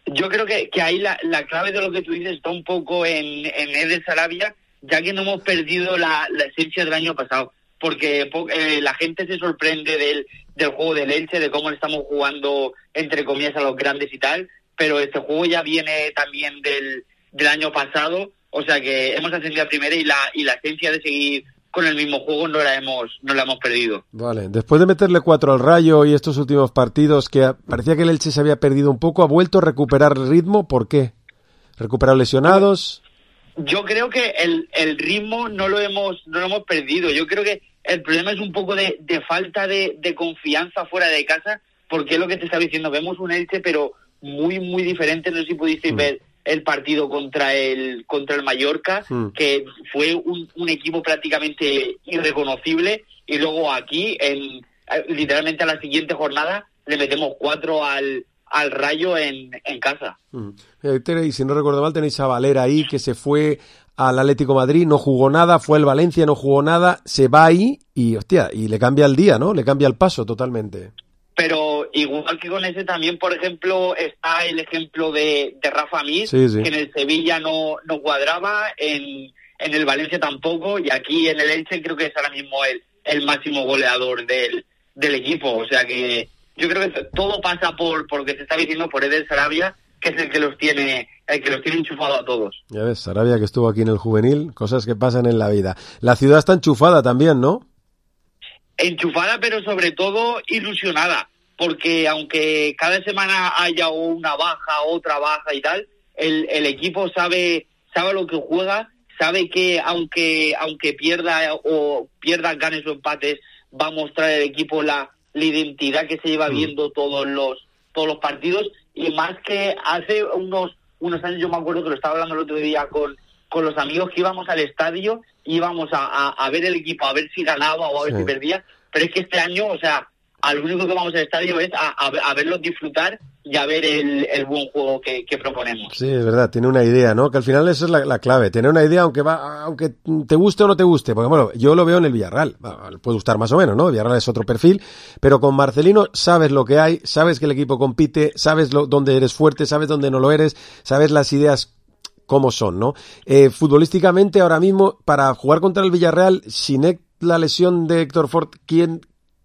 Yo creo que, que ahí la, la clave de lo que tú dices está un poco en, en Eder Sarabia, ya que no hemos perdido la, la esencia del año pasado. Porque eh, la gente se sorprende del, del juego del Elche, de cómo le estamos jugando, entre comillas, a los grandes y tal, pero este juego ya viene también del, del año pasado, o sea que hemos ascendido a primera y la, y la esencia de seguir con el mismo juego no la hemos no la hemos perdido. Vale, después de meterle cuatro al Rayo y estos últimos partidos que parecía que el Elche se había perdido un poco, ¿ha vuelto a recuperar ritmo? ¿Por qué? ¿Recuperado lesionados? Yo creo que el, el ritmo no lo hemos no lo hemos perdido. Yo creo que el problema es un poco de, de falta de, de confianza fuera de casa, porque es lo que te estaba diciendo. Vemos un Elche, pero muy, muy diferente. No sé si pudisteis mm. ver el partido contra el contra el Mallorca, mm. que fue un, un equipo prácticamente irreconocible. Y luego aquí, en literalmente a la siguiente jornada, le metemos cuatro al... al Rayo en, en casa. Mm. Y si no recuerdo mal, tenéis a Valera ahí, que se fue al Atlético Madrid, no jugó nada, fue al Valencia, no jugó nada, se va ahí y, hostia, y le cambia el día, ¿no? Le cambia el paso totalmente. Pero igual que con ese también, por ejemplo, está el ejemplo de, de Rafa Mir, sí, sí. que en el Sevilla no, no cuadraba, en, en el Valencia tampoco, y aquí en el Elche creo que es ahora mismo el, el máximo goleador del, del equipo. O sea que yo creo que todo pasa por, por lo que se está diciendo, por Eder Sarabia, que es el que los tiene el que los tiene enchufado a todos. Ya ves, Sarabia, que estuvo aquí en el juvenil, cosas que pasan en la vida. La ciudad está enchufada también, ¿no? Enchufada, pero sobre todo ilusionada, porque aunque cada semana haya una baja, otra baja y tal, el, el equipo sabe sabe lo que juega, sabe que aunque aunque pierda o pierda, ganes o empates, va a mostrar el equipo la, la identidad que se lleva viendo todos los todos los partidos. Y más que hace unos unos años, yo me acuerdo que lo estaba hablando el otro día con, con los amigos, que íbamos al estadio, íbamos a, a, a ver el equipo, a ver si ganaba o a ver sí. si perdía, pero es que este año, o sea, al único que vamos al estadio es a, a, a verlos disfrutar y a ver el, el buen juego que, que proponemos. Sí, es verdad, tiene una idea, ¿no? Que al final esa es la, la clave, tener una idea aunque va, aunque te guste o no te guste, porque bueno, yo lo veo en el Villarreal, puede gustar más o menos, ¿no? El Villarreal es otro perfil, pero con Marcelino sabes lo que hay, sabes que el equipo compite, sabes lo, dónde eres fuerte, sabes dónde no lo eres, sabes las ideas cómo son, ¿no? Eh, futbolísticamente ahora mismo, para jugar contra el Villarreal, sin la lesión de Héctor Fort, ¿quién,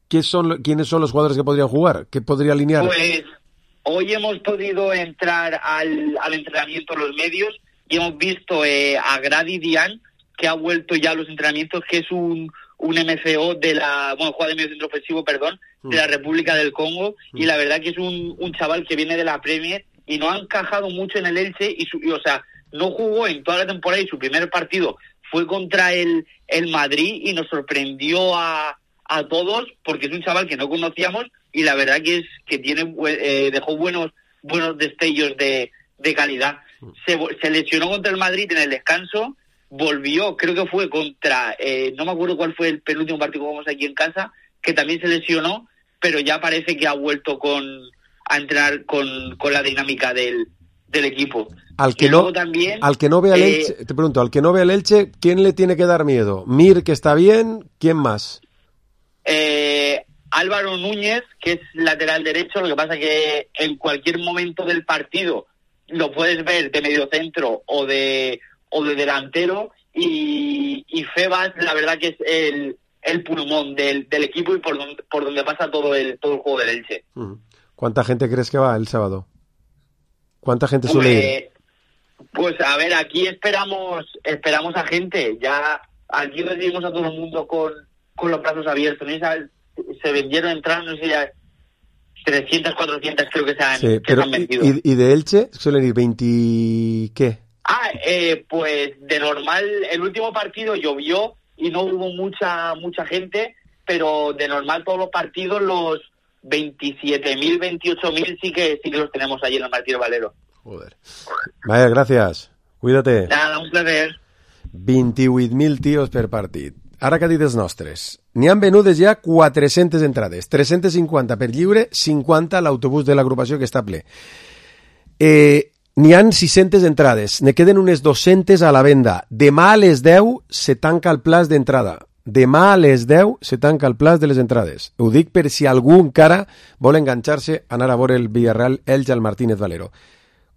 qué son, ¿quiénes son los jugadores que podrían jugar? ¿Qué podría alinear? Pues hoy hemos podido entrar al, al entrenamiento los medios y hemos visto eh, a Grady Dian, que ha vuelto ya a los entrenamientos, que es un, un M C O de la, bueno, juega de medio centro ofensivo, perdón, de la República del Congo, y la verdad que es un, un chaval que viene de la Premier y no ha encajado mucho en el Elche, y, su, y o sea, no jugó en toda la temporada, y su primer partido fue contra el, el Madrid y nos sorprendió a, a todos, porque es un chaval que no conocíamos, y la verdad que es que tiene eh, dejó buenos buenos destellos de, de calidad. Se, se lesionó contra el Madrid en el descanso, volvió, creo que fue contra, eh, no me acuerdo cuál fue el penúltimo partido que jugamos aquí en casa, que también se lesionó, pero ya parece que ha vuelto con a entrar con, con la dinámica del, del equipo. Al que, no, también, al que no vea el eh, Elche, te pregunto, al que no vea el Elche, ¿quién le tiene que dar miedo? Mir, que está bien, ¿quién más? Eh, Álvaro Núñez, que es lateral derecho, lo que pasa que en cualquier momento del partido lo puedes ver de mediocentro o de o de delantero, y, y Febas, la verdad que es el, el pulmón del, del equipo y por donde, por donde pasa todo el, todo el juego del Elche. ¿Cuánta gente crees que va el sábado? ¿Cuánta gente suele pues, ir? Pues a ver, aquí esperamos esperamos a gente. Ya aquí recibimos a todo el mundo con, con los brazos abiertos. ¿No? Se vendieron entradas, no sé, ya trescientas, cuatrocientas creo que se han, sí, que pero se han vendido. ¿y, ¿Y de Elche suelen ir veinte qué? Ah, eh, pues de normal, el último partido llovió y no hubo mucha mucha gente, pero de normal todos los partidos, los veintisiete mil, veintiocho mil sí que sí que los tenemos allí en el Martínez Valero. Joder. Vaya, gracias. Cuídate. Nada, un placer. vint-i-vuit mil tios per partit. Ara que ha dit els nostres. N'hi han venudes ja quatre-centes entrades. tres-centes cinquanta per lliure, cinquanta a l'autobús de l'agrupació que està ple. Eh, n'hi han sis-centes entrades. Ne queden unes dos-centes a la venda. Demà a les deu se tanca el plaç d'entrada. Demà a les deu se tanca el plaç de les entrades. Ho dic per si algú encara vol enganxar-se a anar a veure el Villarreal Elche al Martínez Valero.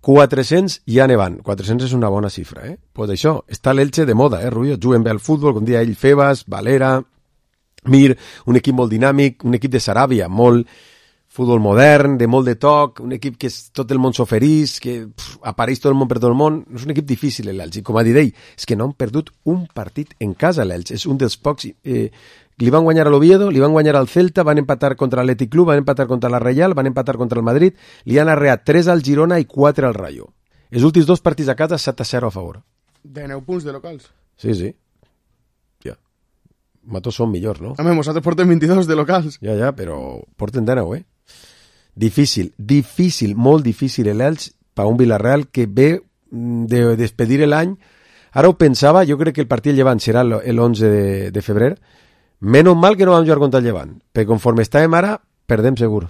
quatre-cents ja ne van. quatre-cents és una bona xifra, eh? Pues això, està l'Elche de moda, eh, Rubio? Juguen bé al futbol, com dia ell, Febas, Valera, Mir, un equip molt dinàmic, un equip de Saràbia, molt futbol modern, de molt de toc, un equip que és, tot el món s'oferís, que pff, apareix tot el món per tot el món. És un equip difícil, l'Elche. I com ha dit ell, és que no han perdut un partit en casa, l'Elche. És un dels pocs... Eh, li van guanyar a l'Oviedo, li van guanyar al Celta, van empatar contra l'Atlètic Club, van empatar contra la Reial, van empatar contra el Madrid, li han arreat tres al Girona i quatre al Rayo. Els últims dos partits a casa, set a zero a favor. De nou punts de locals. Sí, sí. Ja. Matos són millors, no? Home, nosaltres portem vint-i-dos de locals. Ja, ja, però porten de nou, eh? Difícil, difícil, molt difícil l'Elche per un Villarreal que ve de despedir l'any. Ara ho pensava, jo crec que el partit llevant serà l'onze de, de febrer. Menys mal que no vam jugar contra el Llevant, perquè conforme estàvem ara, perdem segur.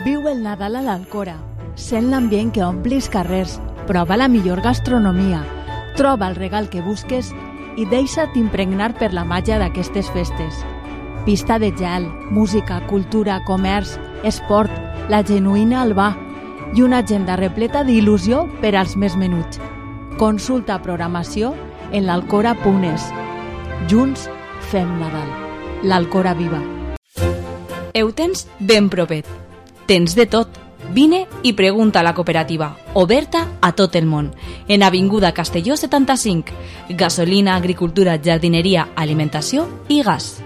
Viu el Nadal a l'Alcora. Sent l'ambient que ompli els carrers. Prova la millor gastronomia. Troba el regal que busques i deixa't impregnar per la màgia d'aquestes festes. Pista de gel, música, cultura, comerç, esport, la genuïna Albà i una agenda repleta d'il·lusió per als més menuts. Consulta programació en l'alcora punt es. Junts fem Nadal. L'Alcora viva. Ho tens ben propet. Tens de tot. Vine i pregunta a la cooperativa, oberta a tot el món. En Avinguda Castelló setanta-cinc. Gasolina, agricultura, jardineria, alimentació i gas.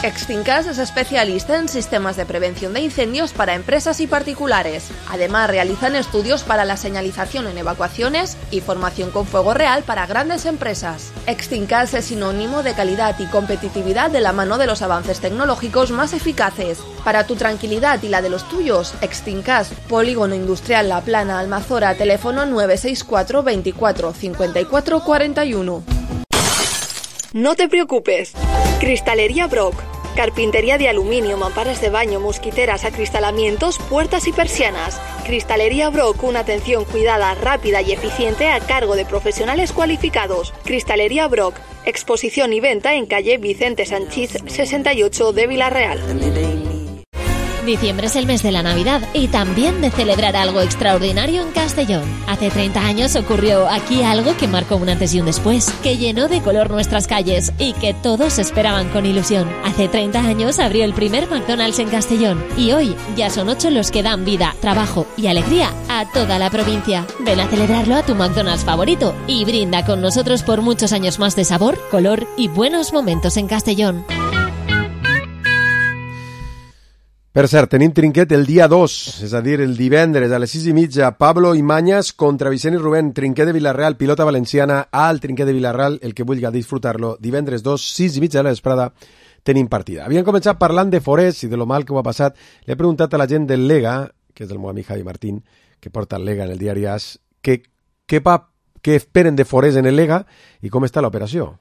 Extincas es especialista en sistemas de prevención de incendios para empresas y particulares. Además, realizan estudios para la señalización en evacuaciones y formación con fuego real para grandes empresas. Extincas es sinónimo de calidad y competitividad de la mano de los avances tecnológicos más eficaces. Para tu tranquilidad y la de los tuyos, Extincas, Polígono Industrial La Plana, Almazora, teléfono nueve seis cuatro veinticuatro cincuenta y cuatro cuarenta y uno. No te preocupes. Cristalería Brock. Carpintería de aluminio, mamparas de baño, mosquiteras, acristalamientos, puertas y persianas. Cristalería Brock, una atención cuidada, rápida y eficiente a cargo de profesionales cualificados. Cristalería Brock, exposición y venta en calle Vicente Sanchís sesenta y ocho de Villarreal. Diciembre es el mes de la Navidad y también de celebrar algo extraordinario en Castellón. Hace treinta años ocurrió aquí algo que marcó un antes y un después, que llenó de color nuestras calles y que todos esperaban con ilusión. Hace treinta años abrió el primer McDonald's en Castellón y hoy ya son ocho los que dan vida, trabajo y alegría a toda la provincia. Ven a celebrarlo a tu McDonald's favorito y brinda con nosotros por muchos años más de sabor, color y buenos momentos en Castellón. Per cert, tenim trinquet el dia dos, és a dir, el divendres a les sis i mitja, Pablo Imañas contra Vicent i Rubén, trinquet de Villarreal, pilota valenciana, al trinquet de Villarreal, el que vulgui disfrutar-lo, divendres dos, sis i mitja de la vesprada, tenim partida. Havien començat parlant de Forés i de lo mal que ho ha passat. Le he preguntat a la gent del Lega, que és del meu amic Javi Martín, que porta el Lega en el diari As, que què va, què esperen de Forés en el Lega i com està l'operació.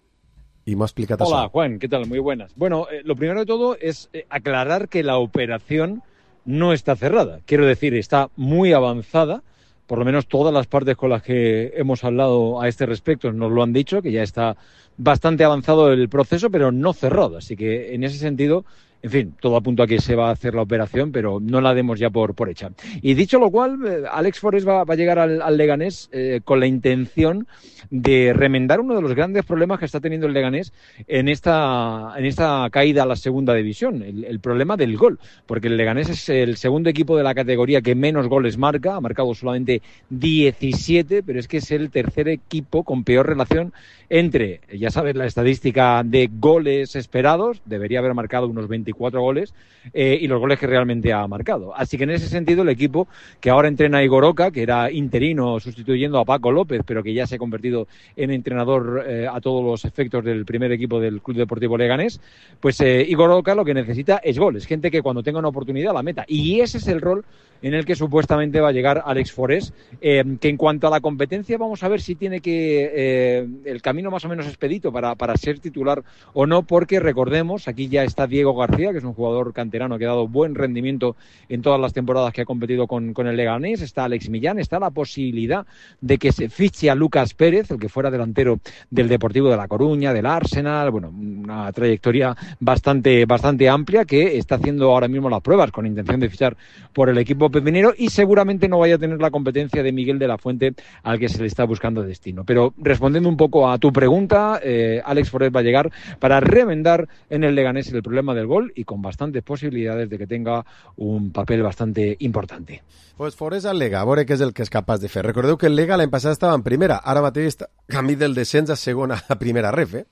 Y me ha explicado. Hola, Juan, ¿qué tal? Muy buenas. Bueno, eh, lo primero de todo es eh, aclarar que la operación no está cerrada. Quiero decir, está muy avanzada. Por lo menos todas las partes con las que hemos hablado a este respecto nos lo han dicho, que ya está bastante avanzado el proceso, pero no cerrado. Así que en ese sentido, en fin, todo apunta a que se va a hacer la operación, pero no la demos ya por, por hecha. Y dicho lo cual, eh, Alex Forés va, va a llegar al, al Leganés eh, con la intención de remendar uno de los grandes problemas que está teniendo el Leganés en esta, en esta caída a la segunda división, el, el problema del gol, porque el Leganés es el segundo equipo de la categoría que menos goles marca, ha marcado solamente diecisiete, pero es que es el tercer equipo con peor relación entre, ya sabes, la estadística de goles esperados, debería haber marcado unos veinticuatro goles, eh, y los goles que realmente ha marcado. Así que en ese sentido el equipo que ahora entrena a Igor Oca, que era interino sustituyendo a Paco López, pero que ya se ha convertido en entrenador eh, a todos los efectos del primer equipo del Club Deportivo Leganés, pues eh, Igor Oca lo que necesita es goles, gente que cuando tenga una oportunidad la meta, y ese es el rol en el que supuestamente va a llegar Alex Forés, eh, que en cuanto a la competencia vamos a ver si tiene que eh, el camino más o menos expedito para, para ser titular o no, porque recordemos, aquí ya está Diego García, que es un jugador canterano que ha dado buen rendimiento en todas las temporadas que ha competido con, con el Leganés, está Alex Millán, está la posibilidad de que se fiche a Lucas Pérez, el que fuera delantero del Deportivo de La Coruña, del Arsenal, bueno, una trayectoria bastante, bastante amplia, que está haciendo ahora mismo las pruebas con intención de fichar por el equipo pepinero, y seguramente no vaya a tener la competencia de Miguel de la Fuente, al que se le está buscando destino. Pero respondiendo un poco a tu pregunta, eh, Alex Forés va a llegar para remendar en el Leganés el problema del gol, y con bastantes posibilidades de que tenga un papel bastante importante. Pues Forés al Lega, a veure què és el que és capaç de fer. Recordeu que el Lega l'any passat estava en primera, ara mateix està camí del descens a segona, a primera ref, eh?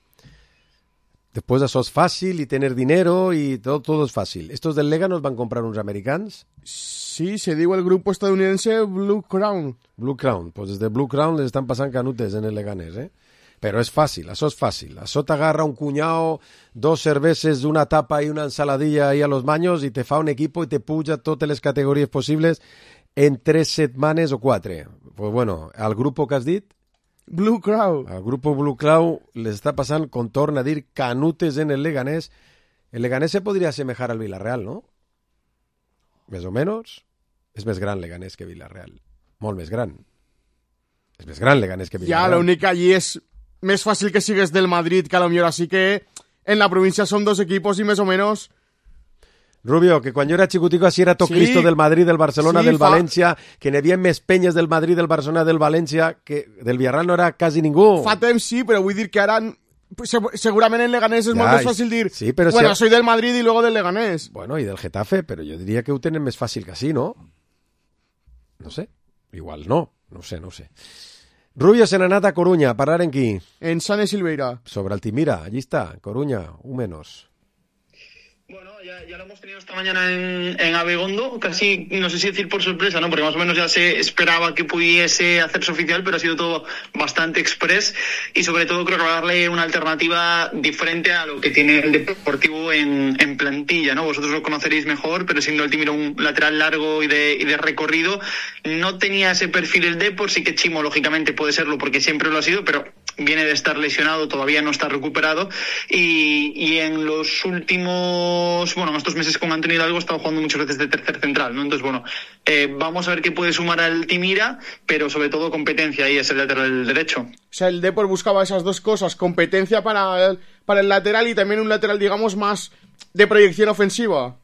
Después eso es fácil y tener dinero y todo, todo es fácil. ¿Estos del Lega nos van a comprar unos americanos? Sí, se digo el grupo estadounidense Blue Crown. Blue Crown, pues desde Blue Crown les están pasando canutes en el Leganés, ¿eh? Pero es fácil, eso es fácil. Eso te agarra un cuñado, dos cerveses, una tapa y una ensaladilla ahí a los baños y te fa un equipo y te puja todas las categorías posibles en tres setmanes o quatre. Pues bueno, al grupo que has dit, Blue Crown. Al grupo Blue Crown les està passant, com torna a dir, canutes en el Leganés. El Leganés se podria assemejar al Villarreal, no? Més o menys. És més gran Leganés que Villarreal. Molt més gran. És més gran Leganés que Villarreal. Ja, l'únic allí és més fàcil que sigues del Madrid, que a lo millor así que en la provincia son dos equipos y más o menos... Rubio, que quan jo era xicutico així era tot Sí. Cristo del Madrid, del Barcelona, Sí, del fa- València, que n'hi havia més penyes del Madrid, del Barcelona, del València, que del Villarreal no era quasi ningú. Fa temps sí, però vull dir que ara se- segurament en Leganés és Ja, molt més fàcil dir sí, però bueno, si- soy del Madrid y luego del Leganés. Bueno, i del Getafe, però jo diria que ho tenen més fàcil que així, no? No sé, igual no, no sé, no sé. Rubio se n'ha anat a Coruña, a parar en qui? En Sane Silveira. Sobre Altimira, allí está, Coruña, un menos. Ya lo hemos tenido esta mañana en, en Abegondo, casi, no sé si decir por sorpresa, ¿no? Porque más o menos ya se esperaba que pudiese hacerse oficial, pero ha sido todo bastante express y sobre todo creo que va a darle una alternativa diferente a lo que tiene el Deportivo en, en plantilla, ¿no? Vosotros lo conoceréis mejor, pero siendo Altimira un lateral largo y de, y de recorrido, no tenía ese perfil el Depor, sí que Chimo lógicamente puede serlo porque siempre lo ha sido, pero viene de estar lesionado, todavía no está recuperado y, y en los últimos, bueno, en estos meses con Antonio Hidalgo ha estado jugando muchas veces de tercer central, ¿no? Entonces, bueno, eh, vamos a ver qué puede sumar al Timira, pero sobre todo competencia, ahí es el lateral derecho. O sea, el Depor buscaba esas dos cosas, competencia para el, para el lateral y también un lateral, digamos, más de proyección ofensiva.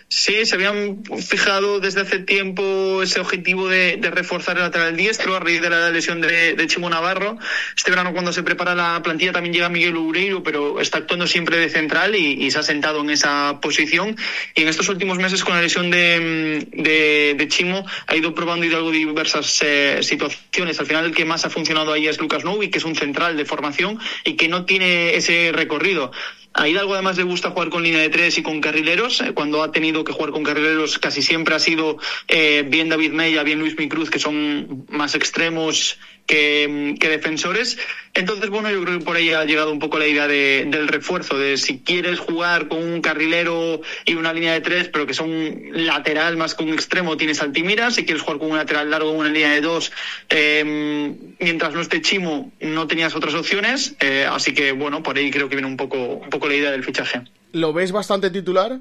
Sí, se habían fijado desde hace tiempo ese objetivo de, de reforzar el lateral diestro a raíz de la lesión de, de Chimo Navarro. Este verano, cuando se prepara la plantilla, también llega Miguel Ureiro, pero está actuando siempre de central y, y se ha sentado en esa posición. Y en estos últimos meses, con la lesión de, de, de Chimo, ha ido probando Hidalgo diversas eh, situaciones. Al final, el que más ha funcionado ahí es Lucas Novi, que es un central de formación y que no tiene ese recorrido. A Hidalgo además le gusta jugar con línea de tres y con carrileros. Cuando ha tenido que jugar con carrileros casi siempre ha sido eh, bien David Mella, bien Luis Micruz, que son más extremos que, que defensores. Entonces, bueno, yo creo que por ahí ha llegado un poco la idea de, del refuerzo, de si quieres jugar con un carrilero y una línea de tres, pero que son lateral más que un extremo, tienes Altimira. Si quieres jugar con un lateral largo, una línea de dos, eh, mientras no esté Chimo, no tenías otras opciones. Eh, así que, bueno, por ahí creo que viene un poco, un poco la idea del fichaje. ¿Lo ves bastante titular?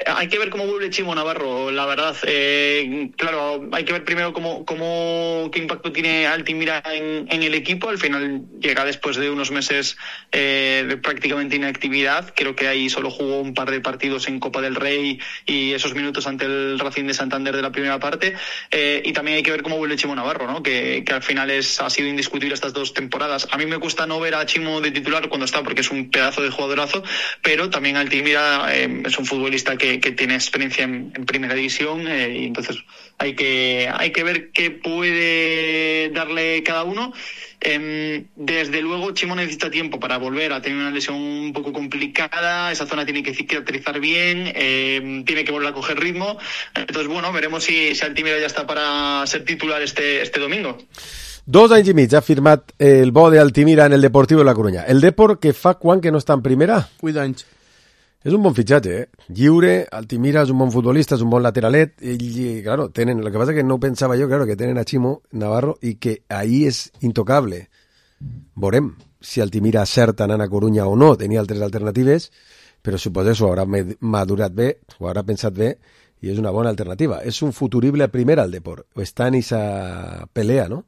Hay que ver cómo vuelve Chimo Navarro, la verdad. Eh, claro, hay que ver primero cómo, cómo qué impacto tiene Altimira en, en el equipo. Al final llega después de unos meses eh, de prácticamente inactividad. Creo que ahí solo jugó un par de partidos en Copa del Rey y esos minutos ante el Racing de Santander de la primera parte. Eh, y también hay que ver cómo vuelve Chimo Navarro, ¿no? Que, que al final es, ha sido indiscutible estas dos temporadas. A mí me cuesta no ver a Chimo de titular cuando está, porque es un pedazo de jugadorazo, pero también Altimira eh, es un futbolista que Que, que tiene experiencia en, en primera división, eh, y entonces hay que hay que ver qué puede darle cada uno. Eh, desde luego Chimo necesita tiempo para volver a tener una lesión un poco complicada, esa zona tiene que cicatrizar bien, eh, tiene que volver a coger ritmo. Entonces, bueno, veremos si, si Altimira ya está para ser titular este, este domingo. Dos anys i mig ha firmat el bo de Altimira en el Deportivo de la Coruña. El Depor, que fa quan que no està en primera? Vuit anys. És un bon fitxatge, eh? Lliure, Altimira és un bon futbolista, és un bon lateralet, i, claro, tenen, lo que pasa que no pensava jo, claro, que tenen a Chimo Navarro i que ahí és intocable. Veurem si Altimira acerta anant a Corunya o no, tenia altres alternatives, però suposo que s'ho haurà madurat bé, ho haurà pensat bé, i és una bona alternativa. És un futurible primer al Depor, o està en esa pelea, ¿no?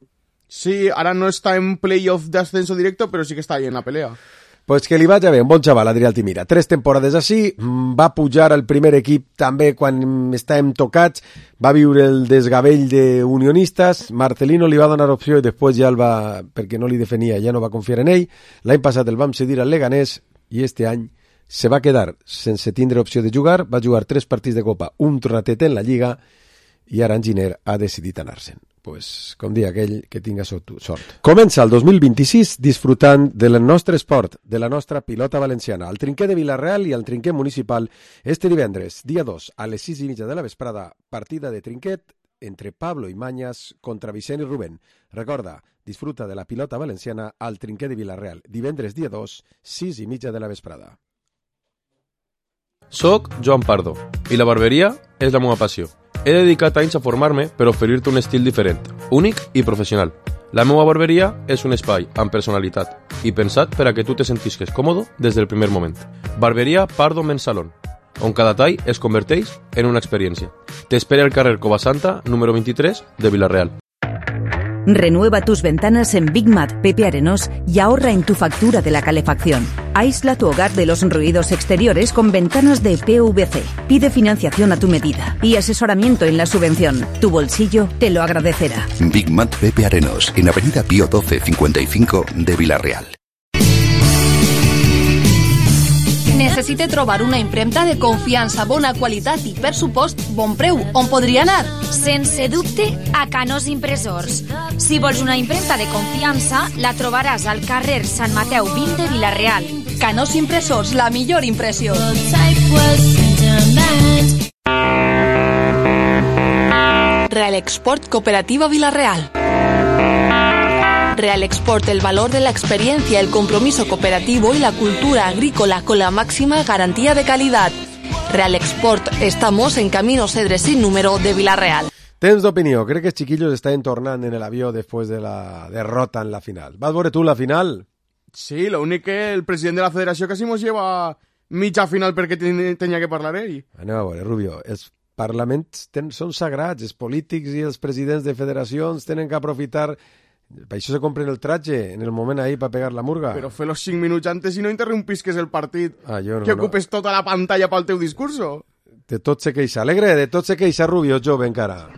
Sí, ahora no está en playoff de ascenso directo, pero sí que está ahí en la pelea. Pues que li vaig bé, un bon xaval, Adrià Altimira. Tres temporades així, va pujar al primer equip també quan estàvem tocats, va viure el desgavell d'unionistes, Marcelino li va donar opció i després ja el va, perquè no li defenia, ja no va confiar en ell. L'any passat el vam cedir al Leganés i este any se va quedar sense tindre opció de jugar, va jugar tres partits de Copa, un ratet en la Lliga i ara en Giner ha decidit anar-se'n. Pues, com dia aquell, que tinga sort. Comença el dos mil vint-i-sis disfrutant del nostre esport, de la nostra pilota valenciana, al trinquer de Vila-real i al trinquer municipal este divendres, dia dos, a les sis i mitja de la vesprada, partida de trinquet entre Pablo i Mañas contra Vicent i Rubén. Recorda, disfruta de la pilota valenciana al trinquer de Vila-real, divendres dia dos, sis i mitja de la vesprada. Soc Joan Pardo i la barberia és la meva passió. He dedicat anys a formar-me per oferir-te un estil diferent, únic i professional. La meva barberia és un espai amb personalitat i pensat per a que tu te sentisques còmode des del primer moment. Barberia Pardo Men's Salon, on cada tall es converteix en una experiència. T'espera al carrer Covasanta, número vint-i-tres, de Vila-real. Renueva tus ventanas en Big Mat Pepe Arenós y ahorra en tu factura de la calefacción. Aísla tu hogar de los ruidos exteriores con ventanas de P V C. Pide financiación a tu medida y asesoramiento en la subvención. Tu bolsillo te lo agradecerá. Big Mat Pepe Arenós, en Avenida Pío doce cincuenta y cinco de Vila-real. Necessite trobar una impremta de confiança, bona qualitat i, per supost, bon preu. On podria anar? Sense dubte, a Canós Impressors. Si vols una impremta de confiança, la trobaràs al carrer Sant Mateu vint de Vila-real. Canós Impressors, la millor impressió. Real Export Cooperativa Vila-real. Real Export, el valor de la experiencia, el compromiso cooperativo y la cultura agrícola con la máxima garantía de calidad. Real Export, estamos en Camino Cedres sin número de Vila-real. Temps d'opinió, crec que els chiquillos estan tornant en el avió después de la derrota en la final. ¿Vas veure tu la final? Sí, lo único que el presidente de la federació casi nos lleva mitja final perquè ten, tenia que parlar ell. Anem a veure, Rubio, els parlaments ten, són sagrats, els polítics i els presidents de federacions tenen que aprofitar. Per això se compren el traje en el moment ahí para pegar la murga. Però fer los cinc minuts antes i no interrompisques el partit. Ah, jo no, que ocupes no. tota la pantalla pel teu discurso. De tot se queixa. Alegre, de tot se queixa Rubio, jove encara.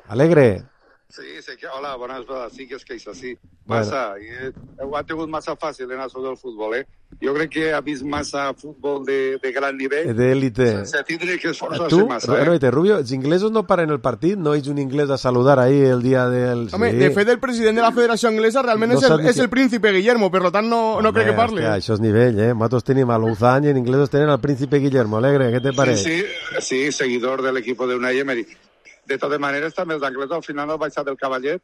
Alegre. Sí, sé que, hola, bones tardes, sí que és que és així. Massa, bueno. i, ho ha tingut massa fàcil en això del futbol, eh? Jo crec que ha vist massa futbol de, de gran nivell. D'élite. Sense tindre que esforçar-se tu, massa, eh? Bueno, Rubio, els inglesos no paren el partit, no és un inglès a saludar ahí el dia del... Home, sí. de fet, el president de la Federació Anglesa realment no és, el, és el príncipe Guillermo, per tant no, no crec que parli. Hòstia, això és nivell, eh? Nosaltres tenim a Louzan i en inglesos tenen al príncipe Guillermo. Alegre, què te pareix? Sí, sí, sí, seguidor de l'equip de Unai Emery. De totes maneres, també els anglesos al final han baixat el cavallet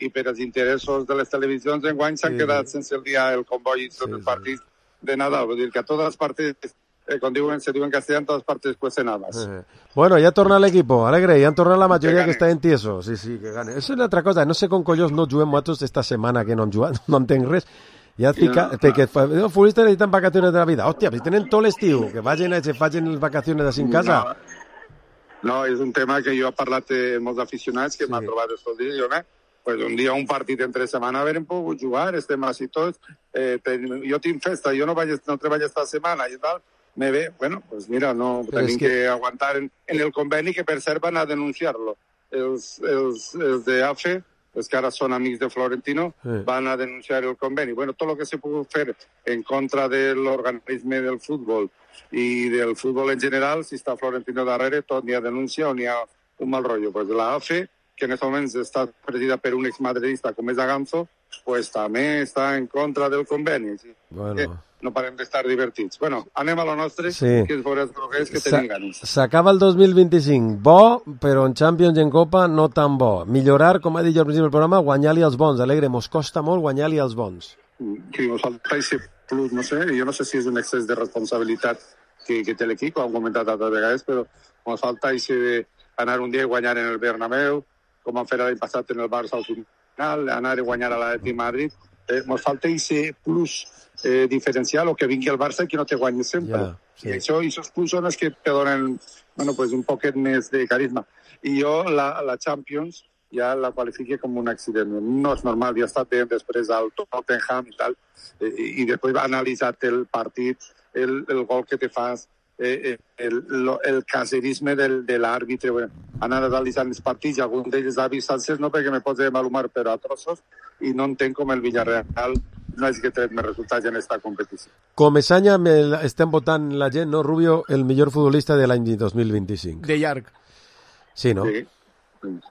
i per els interessos de les televisions enguany s'han sí. quedat sense el dia el comboi i tot sí, el partit sí. de Nadal. Vull dir que a totes les partits, eh, com diuen, se diuen en castellà, en totes les partits pues cenadas. Eh. Bueno, ja torna l'equip, Alegre, ja han tornat la majoria que, que està en tieso. Sí, sí, que gane. Això és una altra cosa, no sé com collons no juguem nosaltres esta setmana que no hem jugat, no entenc res. Ja et fica, no, perquè els futbolistes necessiten vacaciones de la vida. Hòstia, si tenen tot l'estiu, que vagin a que facin les vacaciones així en casa. No. No, és un tema que jo he parlat amb molts aficionats que sí. m'han trobat estos dies. Jo, eh? Pues un dia un partit entre setmana haurem pogut jugar, estem així tots. Eh, ten, jo tinc festa, jo no, vaig, no treballo esta setmana i tal. Me ve, bueno, pues mira, no Però tenim que... que aguantar en, en el conveni que per cert van a denunciar-lo. Els, els, els de A F E, els que ara són amics de Florentino, sí. van a denunciar el conveni. Bueno, tot el que se pugui fer en contra de l'organisme del futbol i del futbol en general, si està Florentino darrere, tot n'hi ha denúncia o n'hi ha un mal rotllo. Pues la A F E, que en aquests moments està presidida per un exmadridista com és Aganzo, pues també està en contra del conveni. Sí? Bueno. Que no parem d'estar divertits. Bueno, anem a lo nostre, sí. que és veure els groguers que tenim ganes. S'acaba el dos mil vint-i-cinc. Bo, però en Champions i en Copa no tan bo. Millorar, com ha dit jo al principi del programa, guanyar-li els bons. Alegre, mos costa molt guanyar-li els bons. Que mos falta aquest plus, no sé, jo no sé si és un excés de responsabilitat que, que té l'equip, ho hem comentat altres vegades, però mos falta aquest d'anar un dia a guanyar en el Bernabéu, com han fet l'any passat en el Barça al final, anar a guanyar a l'Atlètic Madrid. Eh, mos falta aquest plus eh, diferencial o que vingui el Barça i que no te guanyi sempre. Yeah, sí. I això, aquests plus són els que te donen bueno, pues un poquet més de carisma. I jo la, la Champions ja la qualifique com un accident. No és normal, ja ha estat bé després al Tottenham i tal, eh, i després va analitzar el partit, el, el gol que te fas, eh, el, el caserisme del, de l'àrbitre, bueno, anar analitzant els partits, i algun d'ells ha vist sences, no perquè me pots malhumar, però a trossos, i no entenc com el Villarreal no és que té més resultats en aquesta competició. Com Esanya estem votant la gent, no, Rubio, el millor futbolista de l'any dos mil vint-i-cinc. De llarg. Sí, no? Sí.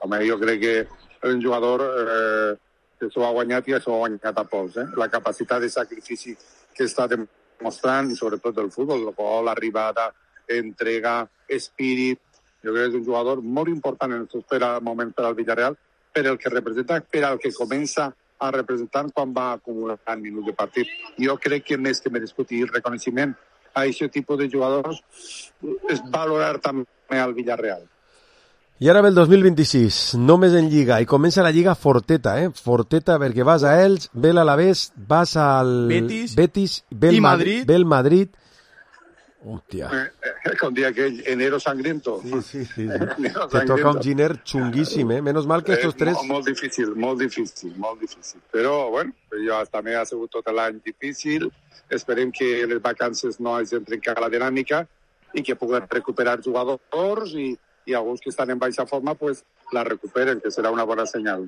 Home, jo crec que és un jugador eh, que s'ho ha guanyat i s'ho ha guanyat a pols. Eh? La capacitat de sacrifici que està demostrant, sobretot del futbol, el gol, l'arribada, entrega, espírit. Jo crec que és un jugador molt important en aquest moment per al Villarreal, per el que representa, per al que comença a representar quan va acumular minuts de partit. Jo crec que més que merescut i el reconeixement a aquest tipus de jugadors és valorar també al Villarreal. I ara ve el dos mil vint-i-sis, només en Lliga, i comença la Lliga forteta, eh? Forteta, perquè vas a Elx, ve l'Alavés, vas al Betis, Betis ve el i Madrid. Ve el Madrid. Hòstia. Eh, eh, com dia que enero sangriento. Sí, sí, sí. sí. Te toca un giner xunguíssim, eh? Menos mal que estos eh, tres... Molt, molt difícil, molt difícil, molt difícil. Però, bueno, jo també ha sigut tot l'any difícil. Esperem que les vacances no hagin trencat la dinàmica i que puguem recuperar jugadors i i alguns que estan en baixa forma pues la recuperen, que serà una bona senyal.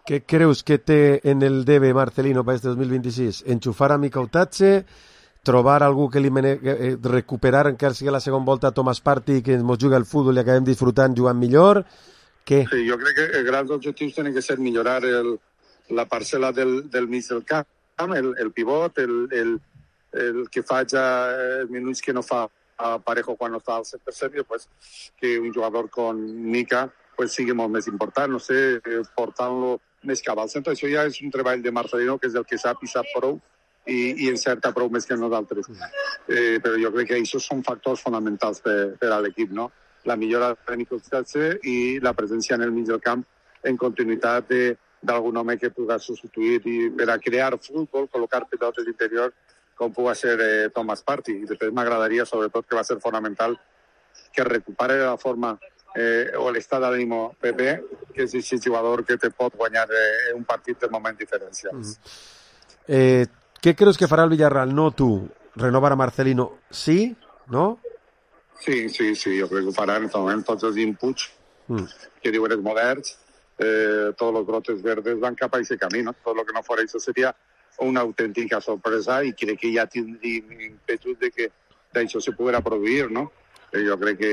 Què creus que té en el debe Marcelino per este dos mil vint-i-sis? Enxufar a Micautatge, trobar algú que li mene... recuperar encara sigui la segona volta a Thomas Partey, que ens jugui al futbol i acabem disfrutant jugant millor? Què? Sí, jo crec que els grans objectius tenen que ser millorar el, la parcel·la del, del mig del camp, el, el pivot, el, el, el que faig els minuts que no fa a Parejo quan no està al cent per cent, pues, que un jugador con Mica pues, sigui molt més important, no sé, portant-lo més cap al centre. Això ja és un treball de Marcelino, que és el que sap i sap prou, i, i encerta prou més que nosaltres. Eh, però jo crec que això són factors fonamentals per, per a l'equip, no? La millora de Micautatge i la presència en el mig del camp en continuïtat d'algun home que pugui substituir i per a crear futbol, col·locar pilotes d'interior com pugui ser eh, Thomas Partey. I després m'agradaria, sobretot, que va ser fonamental que recupere la forma eh, o l'estat d'ànim Pepe, que és aquest jugador que te pot guanyar eh, un partit de moments diferencials. Mm. Eh, què creus que farà el Villarreal? No tu, renovar a Marcelino. Sí? No? Sí, sí, sí, jo crec que ho faran en aquest moment tots els inputs mm. que diuen els moderns, eh, todos los brotes verdes van cap a ese camino. Todo lo que no fuera eso sería una auténtica sorpresa y crec que ja tindríem impetus de que d'això se poguera produir, no? Eh, jo crec que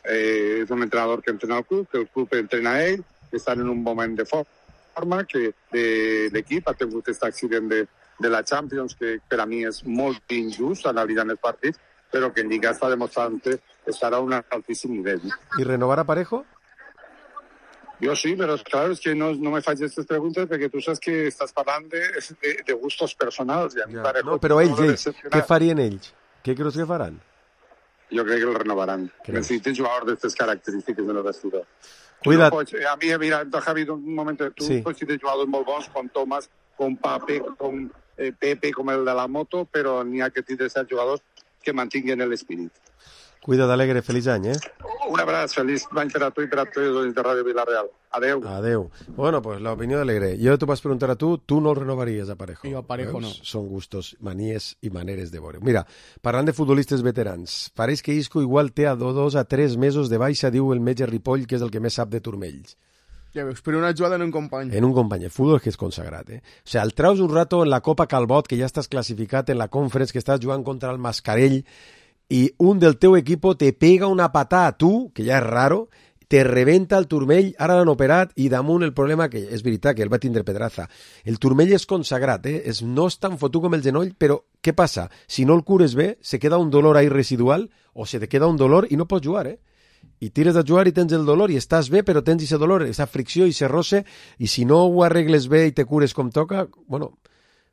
eh, és un entrenador que entrena el club, que el club entrena a ell, que estan en un moment de forma, que de, l'equip ha tingut aquest accident de, de la Champions, que per a mi és molt injust analitzant els partits, però que en Lliga està demostrant que estarà a un altíssim nivell. ¿Y renovar a Parejo? Yo sí, pero claro, es que no, no me falles estas preguntas porque tú sabes que estás hablando de, de, de gustos personals. I a mi Ja. Parejo No, però ells, no ells, què farien ells? Què creus que faran? Jo crec que el renovaran. Creus? Necessiten jugadors d'aquestes característiques en el vestidor. Cuida't. No pots, a mi, mira, Javi, un moment, tu Sí. pots tenir jugadors molt bons com Tomàs, com Pape, com eh, Pepe, com el de la moto, però n'hi ha que tindre ser jugadors que mantinguen l'espírit. Cuida't, Alegre, feliç any, eh? Un abraç, feliç any per a tu i per a tots els de Ràdio Vilareal. Adeu. Adeu. Bueno, pues la opinión de Alegre. Yo te vas a preguntar a tú, tú no el renovarías a Parejo. Jo a Parejo no. Son gustos, manies i maneres de veure. Mira, parlant de futbolistes veterans, pareix que Isco igual té a dos a tres mesos de baixa, diu el metge Ripoll, que és el que més sap de turmells. Ja veus, però una jugada en un company. En un company. El futbol que és consagrat, eh? O sea, el traus un rato en la Copa Calbot, que ja estàs classificat en la Conference, que estàs jugant contra el Mascarell, i un del teu equipo te pega una patada a tu, que ja és raro, te rebenta el turmell, ara l'han operat, i damunt el problema, que és veritat, que el va tindre Pedraza. El turmell és consagrat, eh? És, no és tan fotut com el genoll, però què passa? Si no el cures bé, se queda un dolor ahí residual, o se te queda un dolor i no pots jugar, eh? I tires de jugar i tens el dolor, i estàs bé, però tens ese dolor, esa fricció i ese roce, i si no ho arregles bé i te cures com toca, bueno,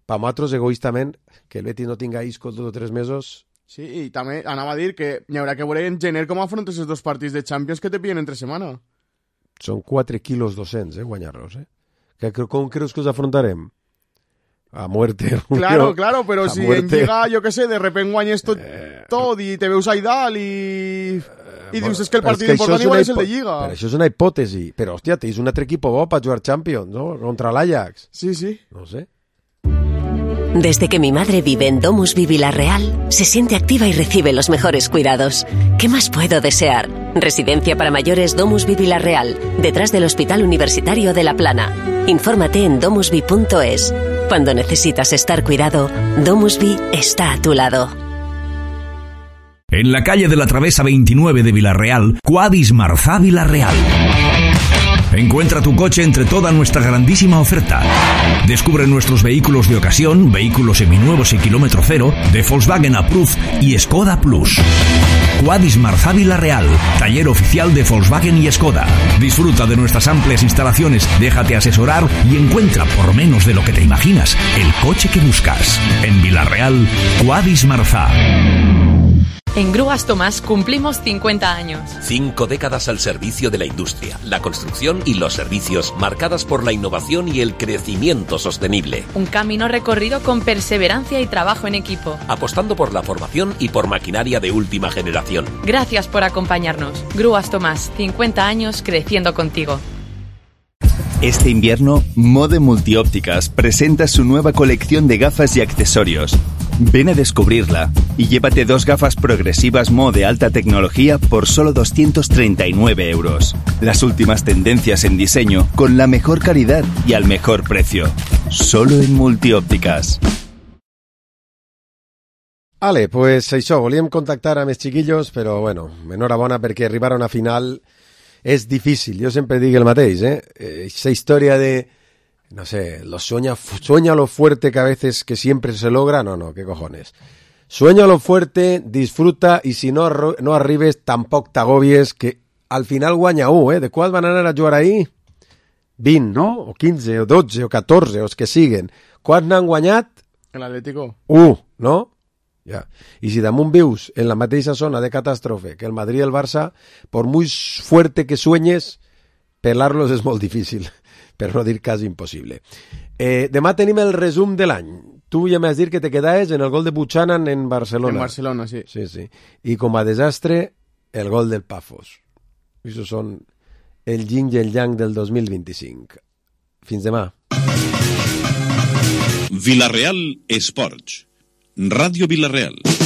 pa nosaltres egoístament, que el Betis no tinga Isco dos o tres mesos... Sí, i també anava a dir que hi haurà que veure en gener com afrontes els dos partits de Champions que te pillen entre setmana. Són quatre quilos doscents, eh, guanyar-los, eh? Que, com creus que us afrontarem? A muerte. Claro, Julio. claro, però A si muerte. en Lliga, jo què sé, de repente guanyes tot, Eh, tot i te veus ahí dalt i... I dius, és que el Però partit que això important és una igual és el de hipo- Lliga. Però això és una hipòtesi. Però, hòstia, tens un altre equip bo per jugar Champions, no? Contra l'Ajax. Sí, sí. No sé. Desde que mi madre vive en Domus Vi Vilarreal, se siente activa y recibe los mejores cuidados. ¿Qué más puedo desear? Residencia para mayores Domus Vi Vilarreal, detrás del Hospital Universitario de La Plana. Infórmate en domusvi punto es. Cuando necesitas estar cuidado, Domus Vi está a tu lado. En la calle de la Travesa veintinueve de Vilarreal, Quadis Marzá Vilarreal. Encuentra tu coche entre toda nuestra grandísima oferta. Descubre nuestros vehículos de ocasión, vehículos seminuevos y kilómetro cero, de Volkswagen Approved y Skoda Plus. Quadis Marzá Vilarreal, taller oficial de Volkswagen y Skoda. Disfruta de nuestras amplias instalaciones, déjate asesorar y encuentra por menos de lo que te imaginas el coche que buscas. En Vilarreal, Quadis Marzá. En Grúas Tomás cumplimos cincuenta años. Cinco décadas al servicio de la industria, la construcción y los servicios, marcadas por la innovación y el crecimiento sostenible. Un camino recorrido con perseverancia y trabajo en equipo. Apostando por la formación y por maquinaria de última generación. Gracias por acompañarnos. Grúas Tomás, cincuenta años creciendo contigo. Este invierno, Mode Multiópticas presenta su nueva colección de gafas y accesorios. Ven a descubrirla y llévate dos gafas progresivas Mo de alta tecnología por solo doscientos treinta y nueve euros. Las últimas tendencias en diseño con la mejor calidad y al mejor precio. Solo en Multiópticas. Vale, pues això, volíem contactar amb els chiquillos, però bueno, enhorabona perquè arribar a una final és difícil. Jo sempre dic el mateix, eh? Esa història de, no sé, lo sueña, sueña lo fuerte que a veces que siempre se logra, no, no, qué cojones. Sueña lo fuerte, disfruta, i si no, no arribes, tampoc t'agobies, que al final guanya u, eh? De qual van anar a jugar ahir? vint, no? O quinze, o dotze, o catorze, o els que siguen. Quants n'han guanyat? L'Atlético. u, no? Ja. I si damunt vius en la mateixa zona de catàstrofe que el Madrid i el Barça, por muy fuerte que sueñes, pelar-los és molt difícil, per no dir quasi impossible. Eh, demà tenim el resum de l'any. Tu ja m'has dit que te quedaves en el gol de Buchanan en Barcelona. En Barcelona, sí. Sí, sí. I com a desastre, el gol del Pafos. Això són el yin i el yang del dos mil vint-i-cinc. Fins demà. Vilareal Esports. Ràdio Vilareal.